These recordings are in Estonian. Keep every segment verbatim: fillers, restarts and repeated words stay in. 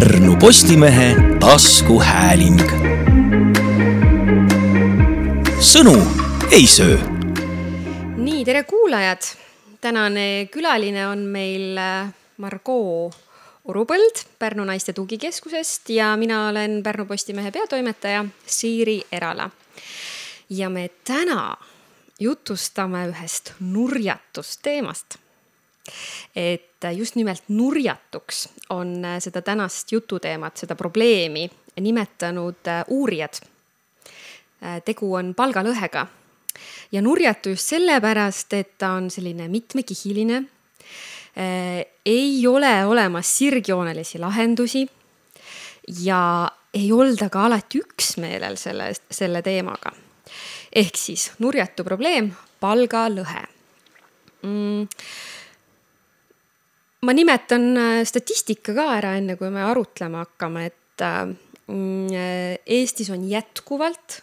Pärnu Postimehe taskuhääling. Sõnu ei söö. Nii, tere kuulajad. Tänane külaline on meil Margo Urupõld Pärnu naiste tugikeskusest ja mina olen Pärnu Postimehe peatoimetaja Siiri Erala. Ja me täna jutustame ühest nurjatust teemast. Et just nimelt nurjatuks on seda tänast jututeemat, seda probleemi nimetanud uurijad. Tegu on palgalõhega. Ja nurjatu just sellepärast, et ta on selline mitmekihiline, ei ole olemas sirgjoonelisi lahendusi ja ei olda ka alati üksmeelel selle, selle teemaga. Ehk siis nurjatu probleem, palgalõhe. Mm. Ma nimetan statistika ka ära enne, kui me arutlema hakkame, et Eestis on jätkuvalt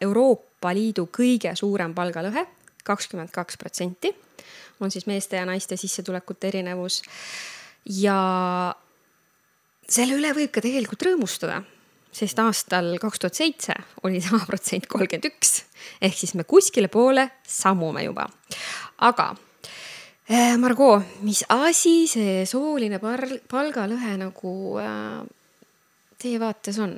Euroopa Liidu kõige suurem palgalõhe, kakskümmend kaks protsenti, on siis meeste ja naiste sissetulekute erinevus. Ja selle üle võib ka tegelikult rõõmustada, sest aastal kaks tuhat seitse oli sama protsent kolmkümmend üks, ehk siis me kuskile poole sammume juba. Aga Margo, mis asi see sooline palgalõhe nagu teie vaates on?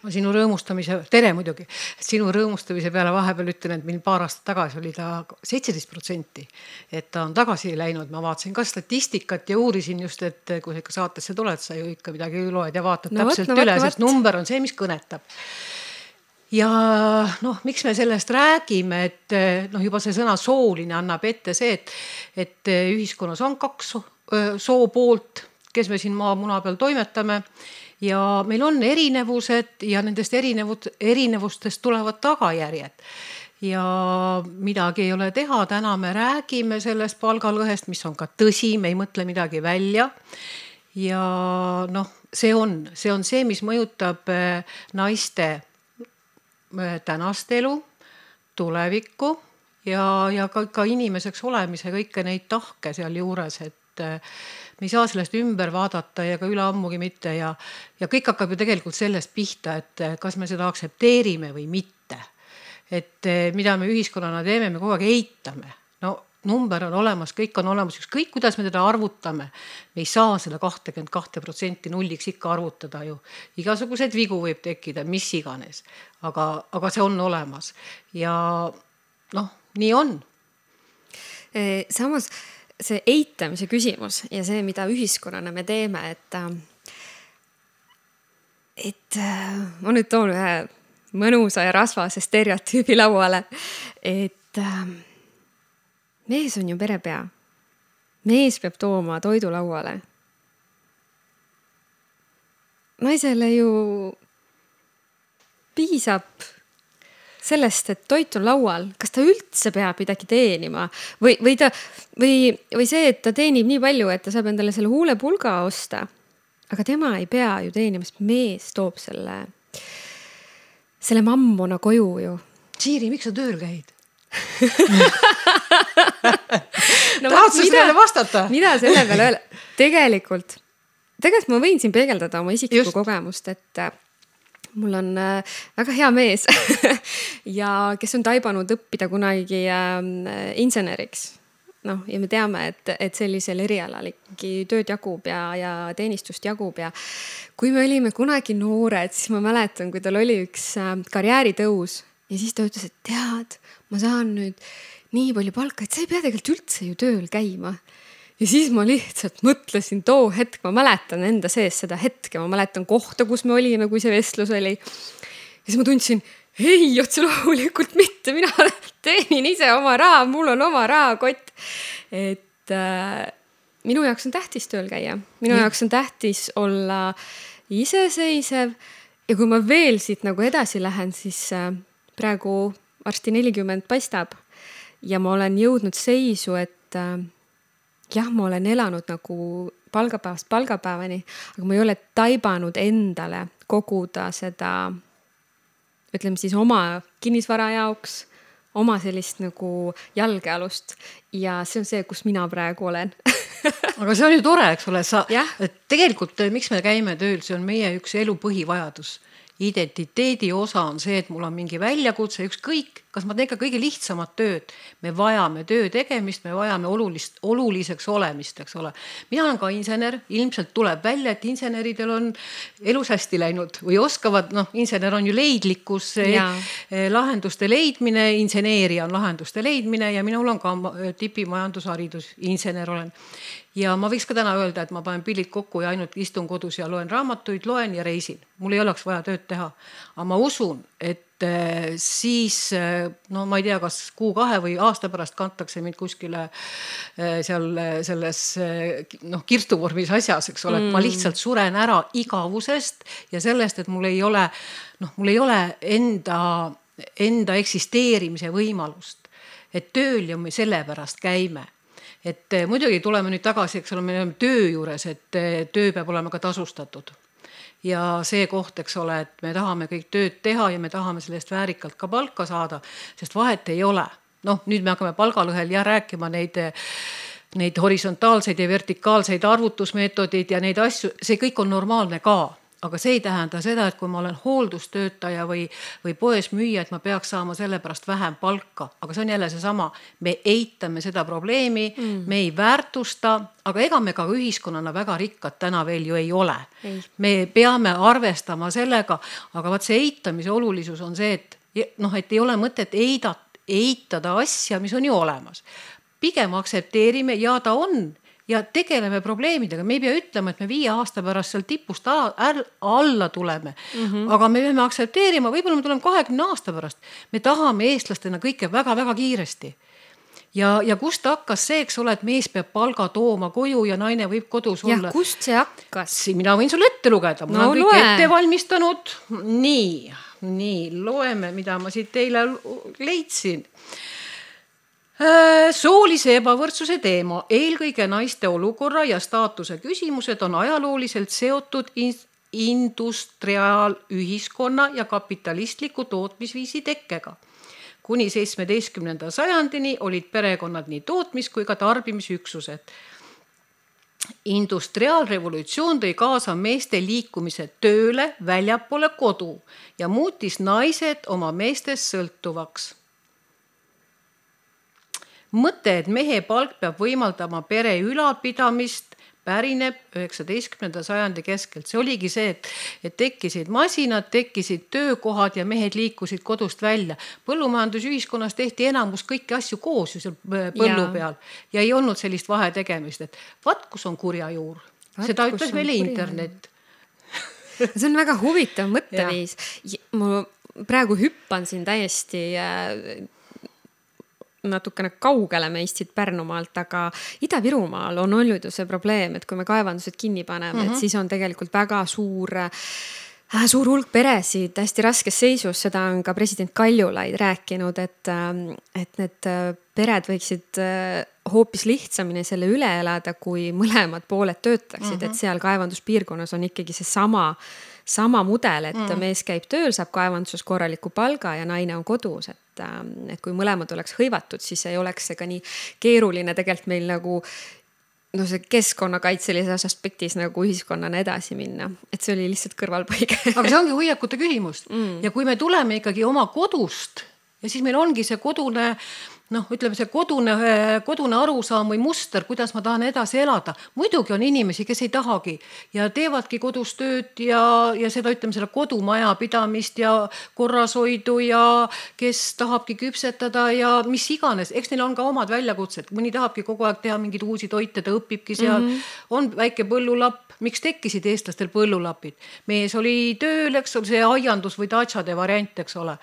Ma sinu rõõmustamise, tere muidugi, sinu rõõmustamise peale vahepeal ütlen, et meil paar aastat tagasi oli ta seitseteist protsenti, et ta on tagasi läinud. Ma vaatasin ka statistikat ja uurisin just, et kui sa ikka saatesse tuled, sa ju ikka midagi loed ja vaatad no, täpselt no, üle, sest number on see, mis kõnetab. Ja noh, miks me sellest räägime, et noh, juba see sõna sooline annab ette see, et, et ühiskonnas on kaks soo poolt, kes me siin maa muna peal toimetame ja meil on erinevused ja nendest erinevust, erinevustest tulevad tagajärjed. Ja midagi ei ole teha, täna me räägime sellest palgalõhest, mis on ka tõsi, me ei mõtle midagi välja. Ja noh, see on, see on see, mis mõjutab naiste tänast elu, tulevikku ja, ja ka, ka inimeseks olemise kõike neid tahke seal juures, et me ei saa sellest ümber vaadata ja ka üle ammugi mitte ja, ja kõik hakkab ju tegelikult sellest pihta, et kas me seda aksepteerime või mitte. Et mida me ühiskonnana teeme, me kogu aeg eitame. No number on olemas, kõik on olemas, kõik kuidas me teda arvutame. Me ei saa seda kakskümmend kaks protsenti nulliks ikka arvutada ju. Igasugused vigu võib tekkida, mis iganes. Aga, aga see on olemas. Ja noh, nii on. Samas see eitamise küsimus ja see, mida ühiskonnana me teeme, et, et ma nüüd toon ühe mõnusa ja rasvase stereotüübi lauale, et mees on ju perepea. Mees peab tooma toidu lauale. Naisele ju piisab sellest, et toit on laual. Kas ta üldse peab midagi teenima? Või, või, ta, või, või see, et ta teenib nii palju, et ta saab endale selle huulepulga osta. Aga tema ei pea ju teenima, sest mees toob selle, selle mammona koju ju. Siiri, miks sa tööl käid? no, tahad sa sellele vastata? Mida selle peale öelda? Tegelikult, tegelikult ma võin siin peegeldada oma isiklikku kogemust, et mul on väga hea mees ja kes on taibanud õppida kunagi inseneriks. No, ja me teame, et, et sellisel erialal ikkagi tööd jagub ja, ja teenistust jagub ja kui me olime kunagi noored, siis ma mäletan, kui tal oli üks karjääritõus ja siis ta ütles, et tead, ma saan nüüd nii palju palka, et sa ei pea tegelikult üldse ju tööl käima. Ja siis ma lihtsalt mõtlesin too hetk, ma mäletan enda sees seda hetke, ma mäletan kohta, kus me olime, kui see vestlus oli. Ja siis ma tundsin, ei, otse loomulikult mitte, mina teenin ise oma raha, mul on oma rahakott. Et äh, minu jaoks on tähtis tööl käia. Minu ja. jaoks on tähtis olla iseseisev ja kui ma veel siit nagu edasi lähen, siis äh, praegu varsti nelikümmend paistab ja ma olen jõudnud seisu, et äh, jah, ma olen elanud nagu palgapäevast palgapäevani, aga ma ei ole taibanud endale koguda seda, ütleme siis oma kinnisvara jaoks, oma sellist nagu jalgealust ja see on see, kus mina praegu olen. Aga see on ju tore, eks ole, sa, Jah. et tegelikult miks me käime tööl, see on meie üks elu põhivajadus. Identiteedi osa on see, et mul on mingi väljakutse, ükskõik, kas ma teen ka kõige lihtsamat tööd. Me vajame töö tegemist, me vajame olulist, oluliseks olemist, eks ole. Mina olen ka insener, ilmselt tuleb välja, et inseneridel on elus hästi läinud või oskavad, noh, insener on ju leidlikkus, Jaa. lahenduste leidmine, inseneeria on lahenduste leidmine ja minul on ka tipimajandusharidus, insener olen. Ja ma võiks ka täna öelda, et ma panen pillid kokku ja ainult istun kodus ja loen raamatuid, loen ja reisin. Mul ei oleks vaja tööd teha. Aga ma usun, et siis, no ma ei tea, kas kuu kahe või aasta pärast kantakse mind kuskile seal selles noh, kirstuvormis asjas, eks ole, et ma lihtsalt suren ära igavusest ja sellest, et mul ei ole, noh, mul ei ole enda, enda eksisteerimise võimalust. Et tööl ja me selle pärast käime. Et muidugi tuleme nüüd tagasi, eks ole, me oleme töö juures, et töö peab olema ka tasustatud. Ja see koht, eks ole, et me tahame kõik tööd teha ja me tahame sellest väärikalt ka palka saada, sest vahet ei ole. Noh, nüüd me hakkame palgalõhel ja rääkima neid, neid horisontaalseid ja vertikaalseid arvutusmeetodid ja neid asju, see kõik on normaalne ka. Aga see ei tähenda seda, et kui ma olen hooldustöötaja või, või poes müüja, et ma peaks saama selle pärast vähem palka. Aga see on jälle see sama. Me eitame seda probleemi, mm. me ei väärtusta, aga ega me ka ühiskonnana väga rikkad täna veel ju ei ole. Ei. Me peame arvestama sellega, aga vaat see eitamise olulisus on see, et, noh, et ei ole mõtet eidat, eitada asja, mis on ju olemas. Pigem aksepteerime ja ta on. Ja tegeleme probleemidega. Me ei pea ütlema, et me viie aasta pärast seal tipust alla tuleme. Mm-hmm. Aga me peame aksepteerima, võib-olla me tuleme kahekümne aasta pärast. Me tahame eestlastena kõike väga-väga kiiresti. Ja, ja kust hakkas see, eks ole, et mees peab palga tooma koju ja naine võib kodus ja olla. Ja kust see hakkas? Mina võin sulle ette lugeda. Ma no, olen kõik loe. Ette valmistanud. Nii, nii, loeme, mida ma siit teile leidsin. Soolise ebavõrdsuse teema, eelkõige naiste olukorra ja staatuse küsimused on ajalooliselt seotud industriaalühiskonna ja kapitalistliku tootmisviisi tekkega. Kuni seitsmeteistkümnenda sajandini olid perekonnad nii tootmis- kui ka tarbimisüksused. Industriaalrevolutsioon tõi kaasa meeste liikumise tööle väljapoole kodu ja muutis naised oma meestest sõltuvaks. Mõte, et mehe palk peab võimaldama pere ülalpidamist, pärineb üheksateistkümnenda sajandi keskelt. See oligi see, et, et tekkisid masinad, tekkisid töökohad ja mehed liikusid kodust välja. Põllumajandusühiskonnas tehti enamus kõiki asju koos ju seal põllu ja. Peal ja ei olnud sellist vahe tegemist, et vaat kus on kurja juur. Vat, seda ütles meile internet. See on väga huvitav mõtteviis. Ma praegu hüppan siin täiesti natukene kaugele meist siit Pärnumaalt, aga Ida-Virumaal on olnud ju see probleem, et kui me kaevandused kinni paneme, mm-hmm. et siis on tegelikult väga suur, suur hulk peresid hästi raskes seisus. Seda on ka president Kaljulaid rääkinud, et, et need pered võiksid hoopis lihtsamini selle üle elada, kui mõlemad pooled töötaksid, mm-hmm. et seal kaevanduspiirkonnas on ikkagi see sama sama mudel, et mm. mees käib tööl, saab kaevanduses korraliku palga ja naine on kodus, et, et kui mõlemad oleks hõivatud, siis ei oleks see ka nii keeruline tegelikult meil nagu no see keskkonnakaitselises aspektis nagu ühiskonnana edasi minna, et see oli lihtsalt kõrvalpõige. Aga see ongi hoiakute küsimus mm. ja kui me tuleme ikkagi oma kodust ja siis meil ongi see kodune noh, ütleme see kodune, kodune arusaam või muster, kuidas ma tahan edasi elada. Muidugi on inimesi, kes ei tahagi ja teevadki kodus tööd ja, ja seda ütleme selle kodumaja pidamist ja korrashoidu ja kes tahabki küpsetada ja mis iganes. Eks neil on ka omad väljakutsed. Mõni tahabki kogu aeg teha mingid uusi toite, ta õpibki seal. Mm-hmm. On väike põllulapp. Miks tekkisid eestlastel põllulapid? Mees oli tööl, eks ole, see aiandus või tatšade variant, eks ole.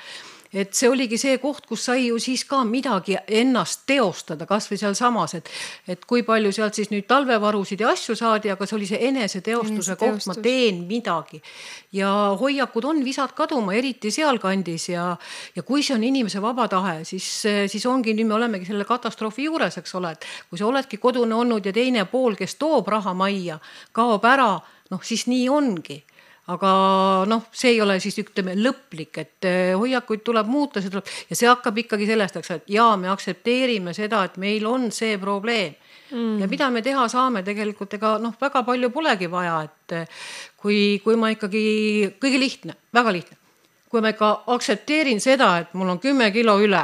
Et see oligi see koht, kus sai ju siis ka midagi ennast teostada, kas või seal samas, et, et kui palju sealt siis nüüd talvevarusid ja asju saadi, aga see oli see enese teostuse enese koht, teostus. Ma teen midagi. Ja hoiakud on visad kaduma, eriti seal kandis ja, ja kui see on inimese vaba tahe, siis, siis ongi, nüüd me olemegi selle katastroofi juures, eks ole, et kui sa oledki kodune olnud ja teine pool, kes toob raha majja, kaob ära, noh siis nii ongi. aga noh, see ei ole siis ütleme lõplik, et hoiakuid tuleb muuta, see tuleb, ja see hakkab ikkagi sellest, et jaa, me aksepteerime seda, et meil on see probleem. Mm. Ja mida me teha saame tegelikult, ega noh, väga palju polegi vaja, et kui, kui ma ikkagi, kõige lihtne, väga lihtne, kui ma ikka aksepteerin seda, et mul on kümme kilo üle,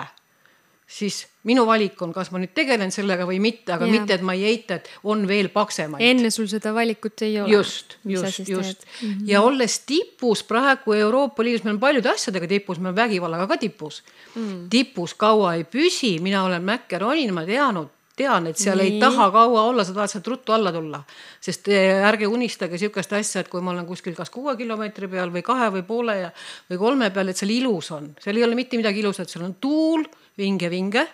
siis minu valik on, kas ma nüüd tegelen sellega või mitte, aga ja. mitte, et ma ei eita, et on veel paksemaid. Enne sul seda valikut ei ole. Just, just, just. Mm-hmm. Ja olles tipus praegu Euroopa Liidus, meil on paljude asjadega tipus, meil on vägivallaga ka tipus. Mm. Tipus kaua ei püsi, mina olen Mäkkeronin, ma teanud, tean, et seal Nii. ei taha kaua olla, sa tahad sealt ruttu alla tulla. Sest ärge unistage sihukest asja, et kui ma olen kuskil kas kuue kilomeetri peal või kahe või poole ja, või kolme peal, et seal ilus on. Seal ei ole mitte midagi ilus, et seal on tuul, vinge, vinge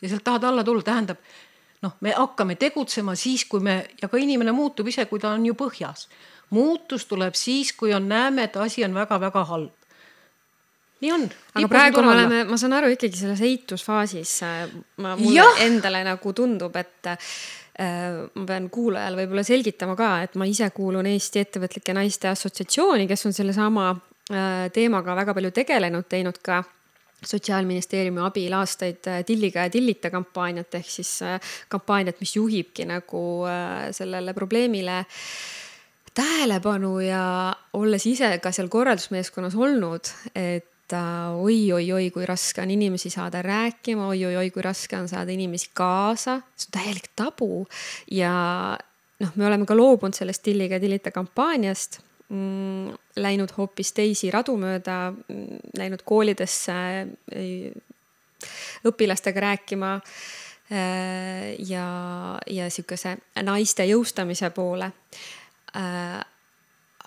ja sealt tahad alla tulla, tähendab, noh, me hakkame tegutsema siis, kui me, ja ka inimene muutub ise, kui ta on ju põhjas. Muutus tuleb siis, kui on näeme, et asi on väga-väga halb. Nii on. Aga praegu me oleme, ma saan aru ikkagi selles eitusfaasis, ma, mulle ja. endale nagu tundub, et äh, ma pean kuulajal võib-olla selgitama ka, et ma ise kuulun Eesti ettevõtlike naiste assotsiatsiooni, kes on selle sama äh, teemaga väga palju tegelenud, teinud ka Sotsiaalministeeriumi abil aastaid Tilliga ja Tillita kampaaniat, ehk siis kampaaniat, mis juhibki nagu sellele probleemile tähelepanu ja olles ise ka seal korraldusmeeskonnas olnud, et oi, oi, oi, kui raske on inimesi saada rääkima, oi, oi, oi, kui raske on saada inimesi kaasa, see on täielik tabu ja noh, me oleme ka loobunud sellest Tilliga ja Tillita kampaaniast, läinud hoopis teisi radu mööda, läinud koolidesse õpilastega rääkima ja, ja sihukese naiste jõustamise poole.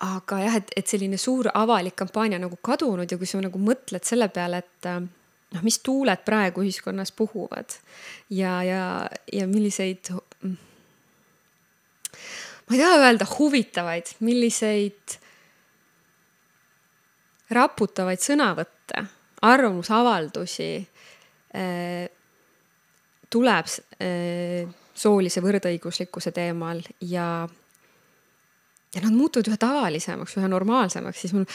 Aga jah, et, et selline suur avalik kampaania nagu kadunud ja kui sa nagu mõtled selle peale, et noh, mis tuuled praegu ühiskonnas puhuvad ja, ja, ja milliseid ma ei taha öelda huvitavaid, milliseid raputavaid sõnavõtte, arvamusavaldusi äh, tuleb äh, soolise võrdõiguslikkuse teemal ja, ja nad muutuvad ühe tavalisemaks, ühe normaalsemaks, siis mul,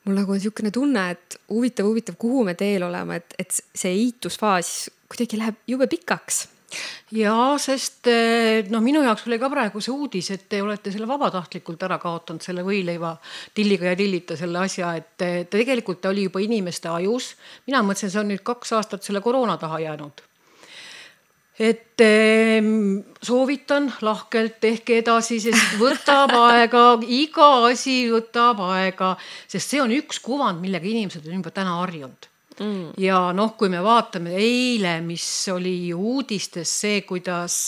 mul nagu on niisugune tunne, et huvitav, huvitav, kuhu me teel oleme, et, et see eitusfaas kuidagi läheb jube pikaks. Ja, sest no minu jaoks oli ka praegu see uudis, et te olete selle vabatahtlikult ära kaotanud, selle võileiva Tilliga ja Tillita selle asja, et ta tegelikult oli juba inimeste ajus. Mina mõtlesin, see on nüüd kaks aastat selle koroona taha jäänud. Et soovitan lahkelt, tehke edasi, sest võtab aega, iga asi võtab aega, sest see on üks kuvand, millega inimesed on juba täna harjunud. Mm. Ja noh, kui me vaatame eile, mis oli uudistes see, kuidas,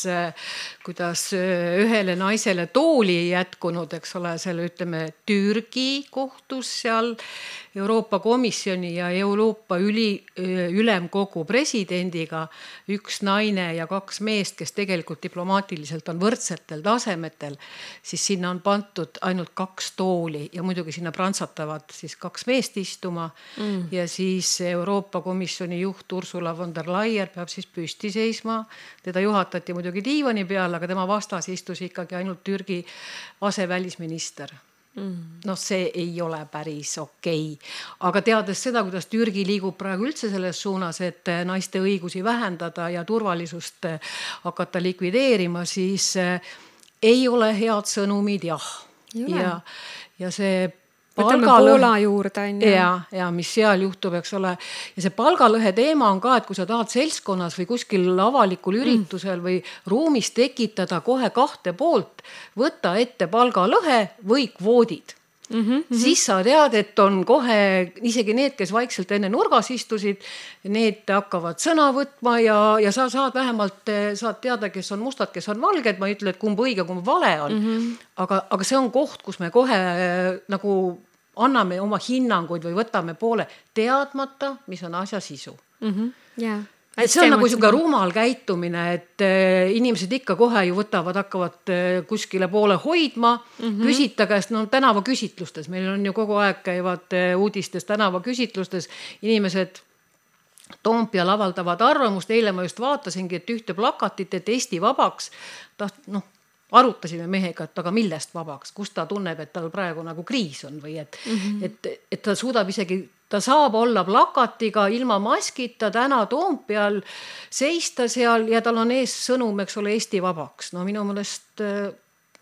kuidas ühele naisele tooli ei jätkunud, eks ole, selle ütleme Türgi kohtus seal Euroopa Komisjoni ja Euroopa üli, ülemkogu presidendiga üks naine ja kaks meest, kes tegelikult diplomaatiliselt on võrdsetel tasemetel, siis sinna on pantud ainult kaks tooli ja muidugi sinna prantsatavad siis kaks meest istuma mm. ja siis Euroopa Komisjoni juht Ursula von der Leyen peab siis püsti seisma. Teda juhatati muidugi diivani peal, aga tema vastas istus ikkagi ainult Türgi asevälisminister. Mm. No see ei ole päris okei. Aga teades seda, kuidas Türgi liigub praegu üldse selles suunas, et naiste õigusi vähendada ja turvalisust hakata likvideerima, siis ei ole head sõnumid, jah. Ja, ja see võtame Poola juurde. Ja, ja mis seal juhtub, eks ole. Ja see palgalõhe teema on ka, et kui sa tahad seltskonnas või kuskil avalikul üritusel või ruumis tekitada kohe kahte poolt, võtta ette palgalõhe või kvoodid. Mm -hmm. Siis sa tead, et on kohe isegi need, kes vaikselt enne nurgas istusid, need hakkavad sõna võtma ja, ja sa saad vähemalt saad teada, kes on mustad, kes on valged. Ma ei ütle, et kumb õige, kumb vale on. Mm -hmm. aga, aga see on koht, kus me kohe nagu anname oma hinnanguid või võtame poole teadmata, mis on asja sisu. Mm -hmm. yeah. Et see on nagu siuke rumal käitumine, et inimesed ikka kohe ju võtavad, hakkavad kuskile poole hoidma, mm -hmm. küsita käest, no tänava küsitlustes, meil on ju kogu aeg käivad uudistes tänava küsitlustes, inimesed Toompeal avaldavad arvamust, eile ma just vaatasingi, et ühte plakatit, et Eesti vabaks, taht, noh, arutasime mehega, et aga millest vabaks, kus ta tunneb, et tal praegu nagu kriis on või et mm-hmm. et, et ta suudab isegi, ta saab olla plakatiga ilma maskita täna Toompeal seista seal ja tal on ees sõnum, eks ole, Eesti vabaks. No minu mõelest,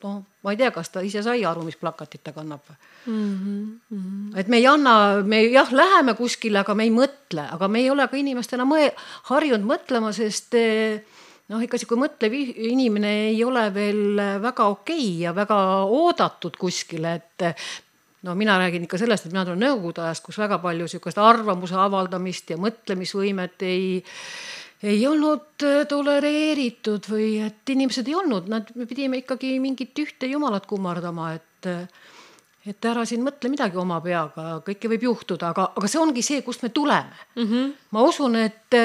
no ma ei tea, kas ta ise sai aru, mis plakatit ta kannab. Mm-hmm. Et me ei anna, me jah, läheme kuskile, aga me ei mõtle, aga me ei ole ka inimestena mõ- harjunud mõtlema, sest noh, ikka kui mõtlev inimene ei ole veel väga okei ja väga oodatud kuskile, et no mina räägin ikka sellest, et mina tulen nõukogude ajast, kus väga palju sihukest arvamuse avaldamist ja mõtlemisvõimet ei, ei olnud tolereeritud või et inimesed ei olnud, nad me pidime ikkagi mingit ühte jumalat kummardama, et et ära siin mõtle midagi oma peaga, kõike võib juhtuda, aga, aga see ongi see, kust me tuleme. Mm-hmm. Ma usun, et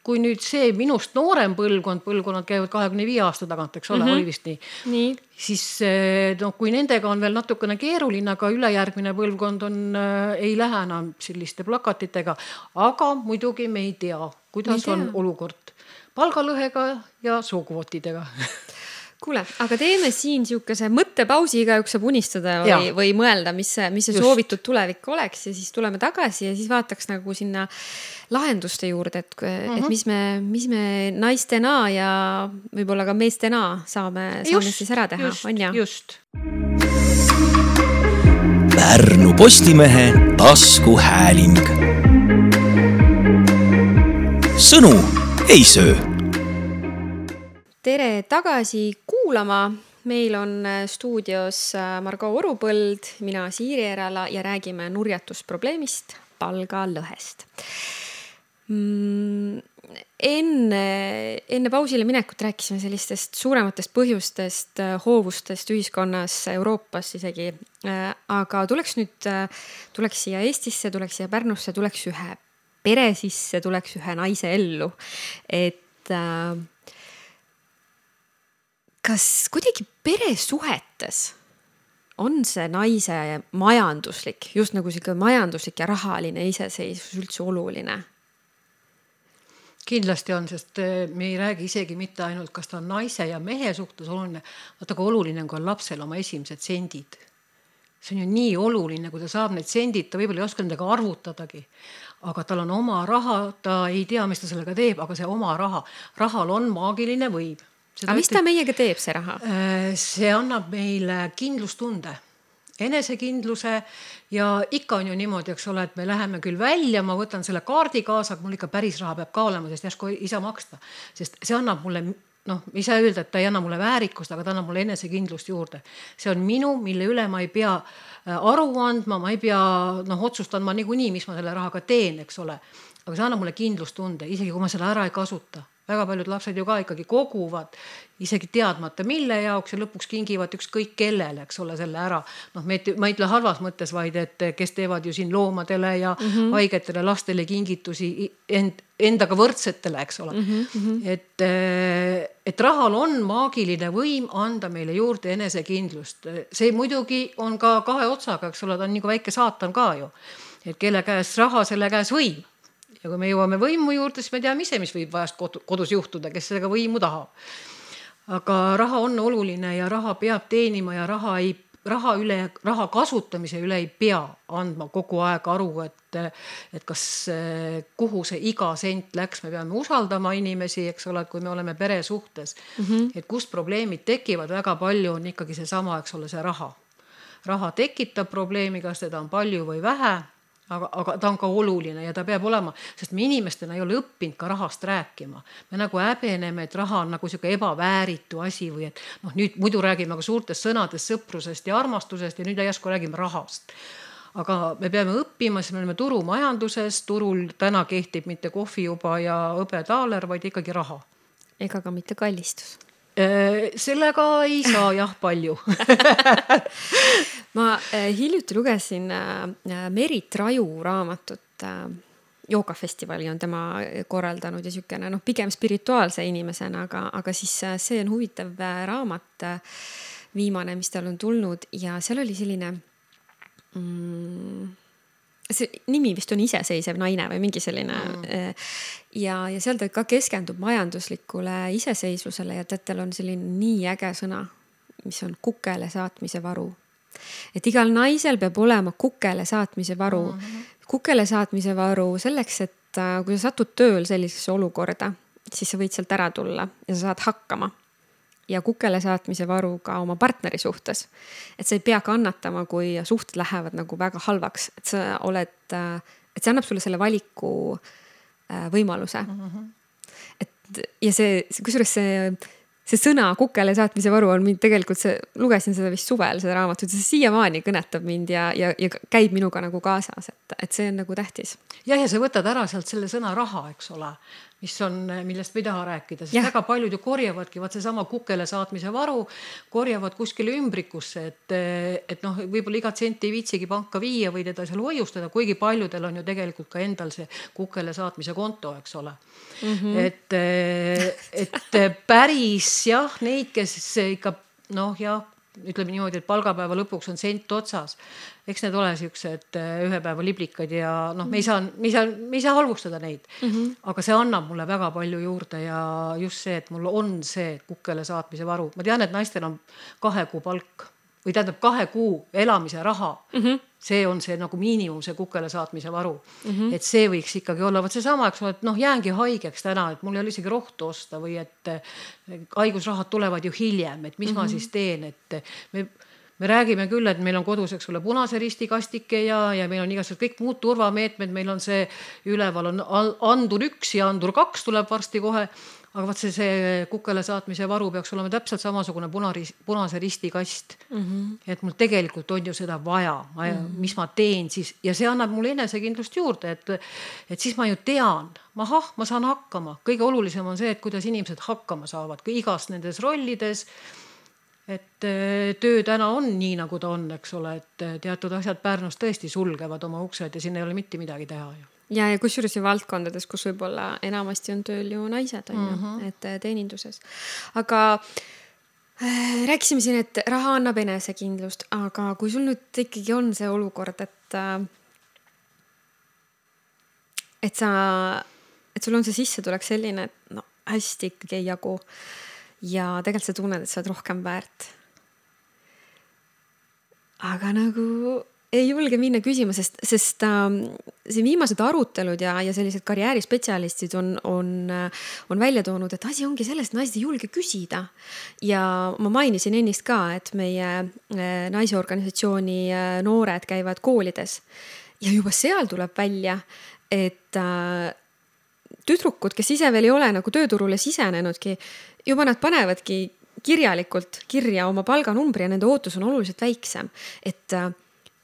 kui nüüd see minust noorem põlvkond, põlvkonnad käivad kahekümne viie aasta tagant, eks ole, mm-hmm. oli vist nii, nii. Siis no, kui nendega on veel natukene keeruline, aga ülejärgmine põlvkond on, ei lähe enam selliste plakatitega, aga muidugi me ei tea, kuidas ei on tea. Olukord palgalõhega ja sookvootidega. Kuule, aga teeme siin siukese mõttepausi, igaüks saab unistada või, või mõelda, mis see, mis see soovitud tulevik oleks ja siis tuleme tagasi ja siis vaataks nagu sinna lahenduste juurde, et, mm-hmm. et mis me, mis me naistena ja võib-olla ka meestena saame, saame siis ära teha, just, on ja? Just. Pärnu Postimehe taskuhääling. Sõnu ei söö. Tere tagasi kuulama. Meil on stuudios Margo Orupõld, mina Siiri Erala ja räägime nurjatusprobleemist, palgalõhest. Enne, enne pausile minekut rääkisime sellistest suurematest põhjustest, hoovustest ühiskonnas, Euroopas isegi. Aga tuleks nüüd, tuleks siia Eestisse, tuleks siia Pärnusse, tuleks ühe pere sisse, tuleks ühe naise ellu. Et kas kuidagi peresuhetes on see naise majanduslik, just nagu siuke majanduslik ja rahaline iseseisvus üldse oluline? Kindlasti on, sest me ei räägi isegi mitte ainult, kas ta on naise ja mehe suhtes oluline, vaata kui oluline on, kui on lapsel oma esimesed sendid. See on ju nii oluline, kui ta saab need sendid, ta võib-olla ei oska nendega arvutadagi, aga tal on oma raha, ta ei tea, mis ta sellega teeb, aga see oma raha, rahal on maagiline võim. Seda aga mis ta meiega teeb, see raha? See annab meile kindlustunde, enesekindluse ja ikka on ju niimoodi, eks ole, et me läheme küll välja, ma võtan selle kaardi kaasa, aga mul ikka päris raha peab ka olema, sest järsku ei saa maksta. Sest see annab mulle, noh, ei saa öelda, et ta ei anna mulle väärikust, aga ta annab mulle enesekindlust juurde. See on minu, mille üle ma ei pea aru andma, ma ei pea noh, otsustan ma niikuinii, mis ma selle rahaga teen, eks ole. Aga see annab mulle kindlustunde, isegi kui ma selle ära ei kasuta. Väga paljud lapsed ju ka ikkagi koguvad, isegi teadmata mille jaoks ja lõpuks kingivad ükskõik kellele, eks ole, selle ära. Noh, me, ma ei ütle halvas mõttes, vaid et kes teevad ju siin loomadele ja mm-hmm. haigetele lastele kingitusi end, endaga võrdsetele, eks ole. Mm-hmm. Et, et rahal on maagiline võim anda meile juurde enesekindlust. See muidugi on ka kahe otsaga, eks ole, ta on nagu väike saatan ka ju. Et kelle käes raha, selle käes võim. Ja kui me jõuame võimu juurde, siis me teame ise, mis võib vahest kodus juhtuda, kes sellega võimu tahab. Aga raha on oluline ja raha peab teenima ja raha, ei, raha, üle, raha kasutamise üle ei pea andma kogu aeg aru, et, et kas, kuhu see iga sent läks, me peame usaldama inimesi, eks ole, kui me oleme pere suhtes. Mm-hmm. Et kust probleemid tekivad, väga palju on ikkagi see sama, eks ole, see raha. Raha tekitab probleemi, kas seda on palju või vähe. Aga, aga ta on ka oluline ja ta peab olema, sest me inimestena ei ole õppinud ka rahast rääkima. Me nagu häbeneme, et raha on nagu siuke ebavääritu asi või et noh, nüüd muidu räägime aga suurtest sõnadest, sõprusest ja armastusest ja nüüd järsku räägime rahast. Aga me peame õppima, sest me oleme turumajanduses, turul täna kehtib mitte kohvijuba ja hõbetaaler, vaid ikkagi raha. Ega ka mitte kallistus. Sellega ei saa jah palju. Ma hiljuti lugesin Merit Raju raamatut, joogafestivali on tema korraldanud ja sükene, noh, pigem spirituaalse inimesena, aga, aga siis see on huvitav raamat viimane, mis tal on tulnud ja seal oli selline mm, see nimi vist on iseseisev naine või mingi selline mm. ja, ja seal ta ka keskendub majanduslikule iseseisvusele ja teatel on selline nii äge sõna, mis on kukele saatmise varu. Et igal naisel peab olema kukele saatmise varu. Mm-hmm. Kukele saatmise varu selleks, et kui sa satud tööl sellisesse olukorda, siis sa võid sealt ära tulla ja sa saad hakkama. Ja kukele saatmise varu ka oma partneri suhtes. Et sa ei pea kannatama, kui suhted lähevad nagu väga halvaks. Et sa oled, et see annab sulle selle valiku võimaluse. Mm-hmm. Et, ja see, kusjuures see, see sõna kukele saatmise varu on mind tegelikult, see, lugesin seda vist suvel, seda raamatut, see siiamaani kõnetab mind ja, ja, ja käib minuga nagu kaasas, et, et see on nagu tähtis. Ja, ja sa võtad ära sealt selle sõna raha, eks ole, mis on, millest me ei taha rääkida, sest ja. Väga paljud ju korjavadki, vaat see sama kukele saatmise varu, korjavad kuskile ümbrikusse, et, et noh, võib-olla igat senti ei viitsigi panka viia või teda seal hoiustada, kuigi paljudel on ju tegelikult ka endal see kukele saatmise konto, eks ole. Mm-hmm. Et, et päris jah, neid, kes ikka noh jah, ütleme niimoodi, et palgapäeva lõpuks on sent otsas. Eks need ole siuksed ühe päeva liblikad ja noh, me ei saa, me ei saa, me ei saa halvustada neid. Mm-hmm. Aga see annab mulle väga palju juurde ja just see, et mul on see kukele saatmise varu. Ma tean, et naistel on kahe kuu palk või tähendab kahe kuu elamise raha. Mm-hmm. See on see nagu miinimum, see kukele saatmise varu. Mm-hmm. Et see võiks ikkagi olla, võt see sama, eks ole, et noh, jäängi haigeks täna, et mul ei ole isegi rohtu osta või et haigusrahad tulevad ju hiljem, et mis mm-hmm. ma siis teen, et me, me räägime küll, et meil on kodus, eks ole, punase risti kastike ja, ja meil on igasugused kõik muud turvameetmed, meil on see üleval on andur üks ja andur kaks tuleb varsti kohe, aga vaat see, see kukele saatmise varu peaks olema täpselt samasugune punaris, punase risti kast. Mm-hmm. Et mul tegelikult on ju seda vaja, ma, mm-hmm. mis ma teen siis. Ja see annab mulle enesekindlust juurde, et, et siis ma ju tean, mahah, ma saan hakkama. Kõige olulisem on see, et kuidas inimesed hakkama saavad, kui igas nendes rollides, et töö täna on nii, nagu ta on, eks ole, et teatud asjad Pärnus tõesti sulgevad oma uksed ja siin ei ole mitte midagi teha ju. Ja, ja kusjuures ju valdkondades, kus võib-olla enamasti on tööl ju naised, on ju, mm-hmm. et teeninduses. Aga äh, rääkisime siin, et raha annab enesekindlust, aga kui sul nüüd ikkagi on see olukord, et, äh, et, sa, et sul on see sissetulek selline, et no, hästi ikkagi ei jagu ja tegelikult sa tunned, et sa oled rohkem väärt. Aga nagu ei julge minna küsima, sest, sest äh, see viimased arutelud ja, ja sellised karjäärispetsialistid on, on, on välja toonud, et asi ongi sellest, et naised ei julge küsida. Ja ma mainisin ennist ka, et meie äh, naisorganisatsiooni äh, noored käivad koolides ja juba seal tuleb välja, et äh, tüdrukud, kes ise veel ei ole nagu tööturule sisenenudki, juba nad panevadki kirjalikult kirja oma palganumbri ja nende ootus on oluliselt väiksem, et äh,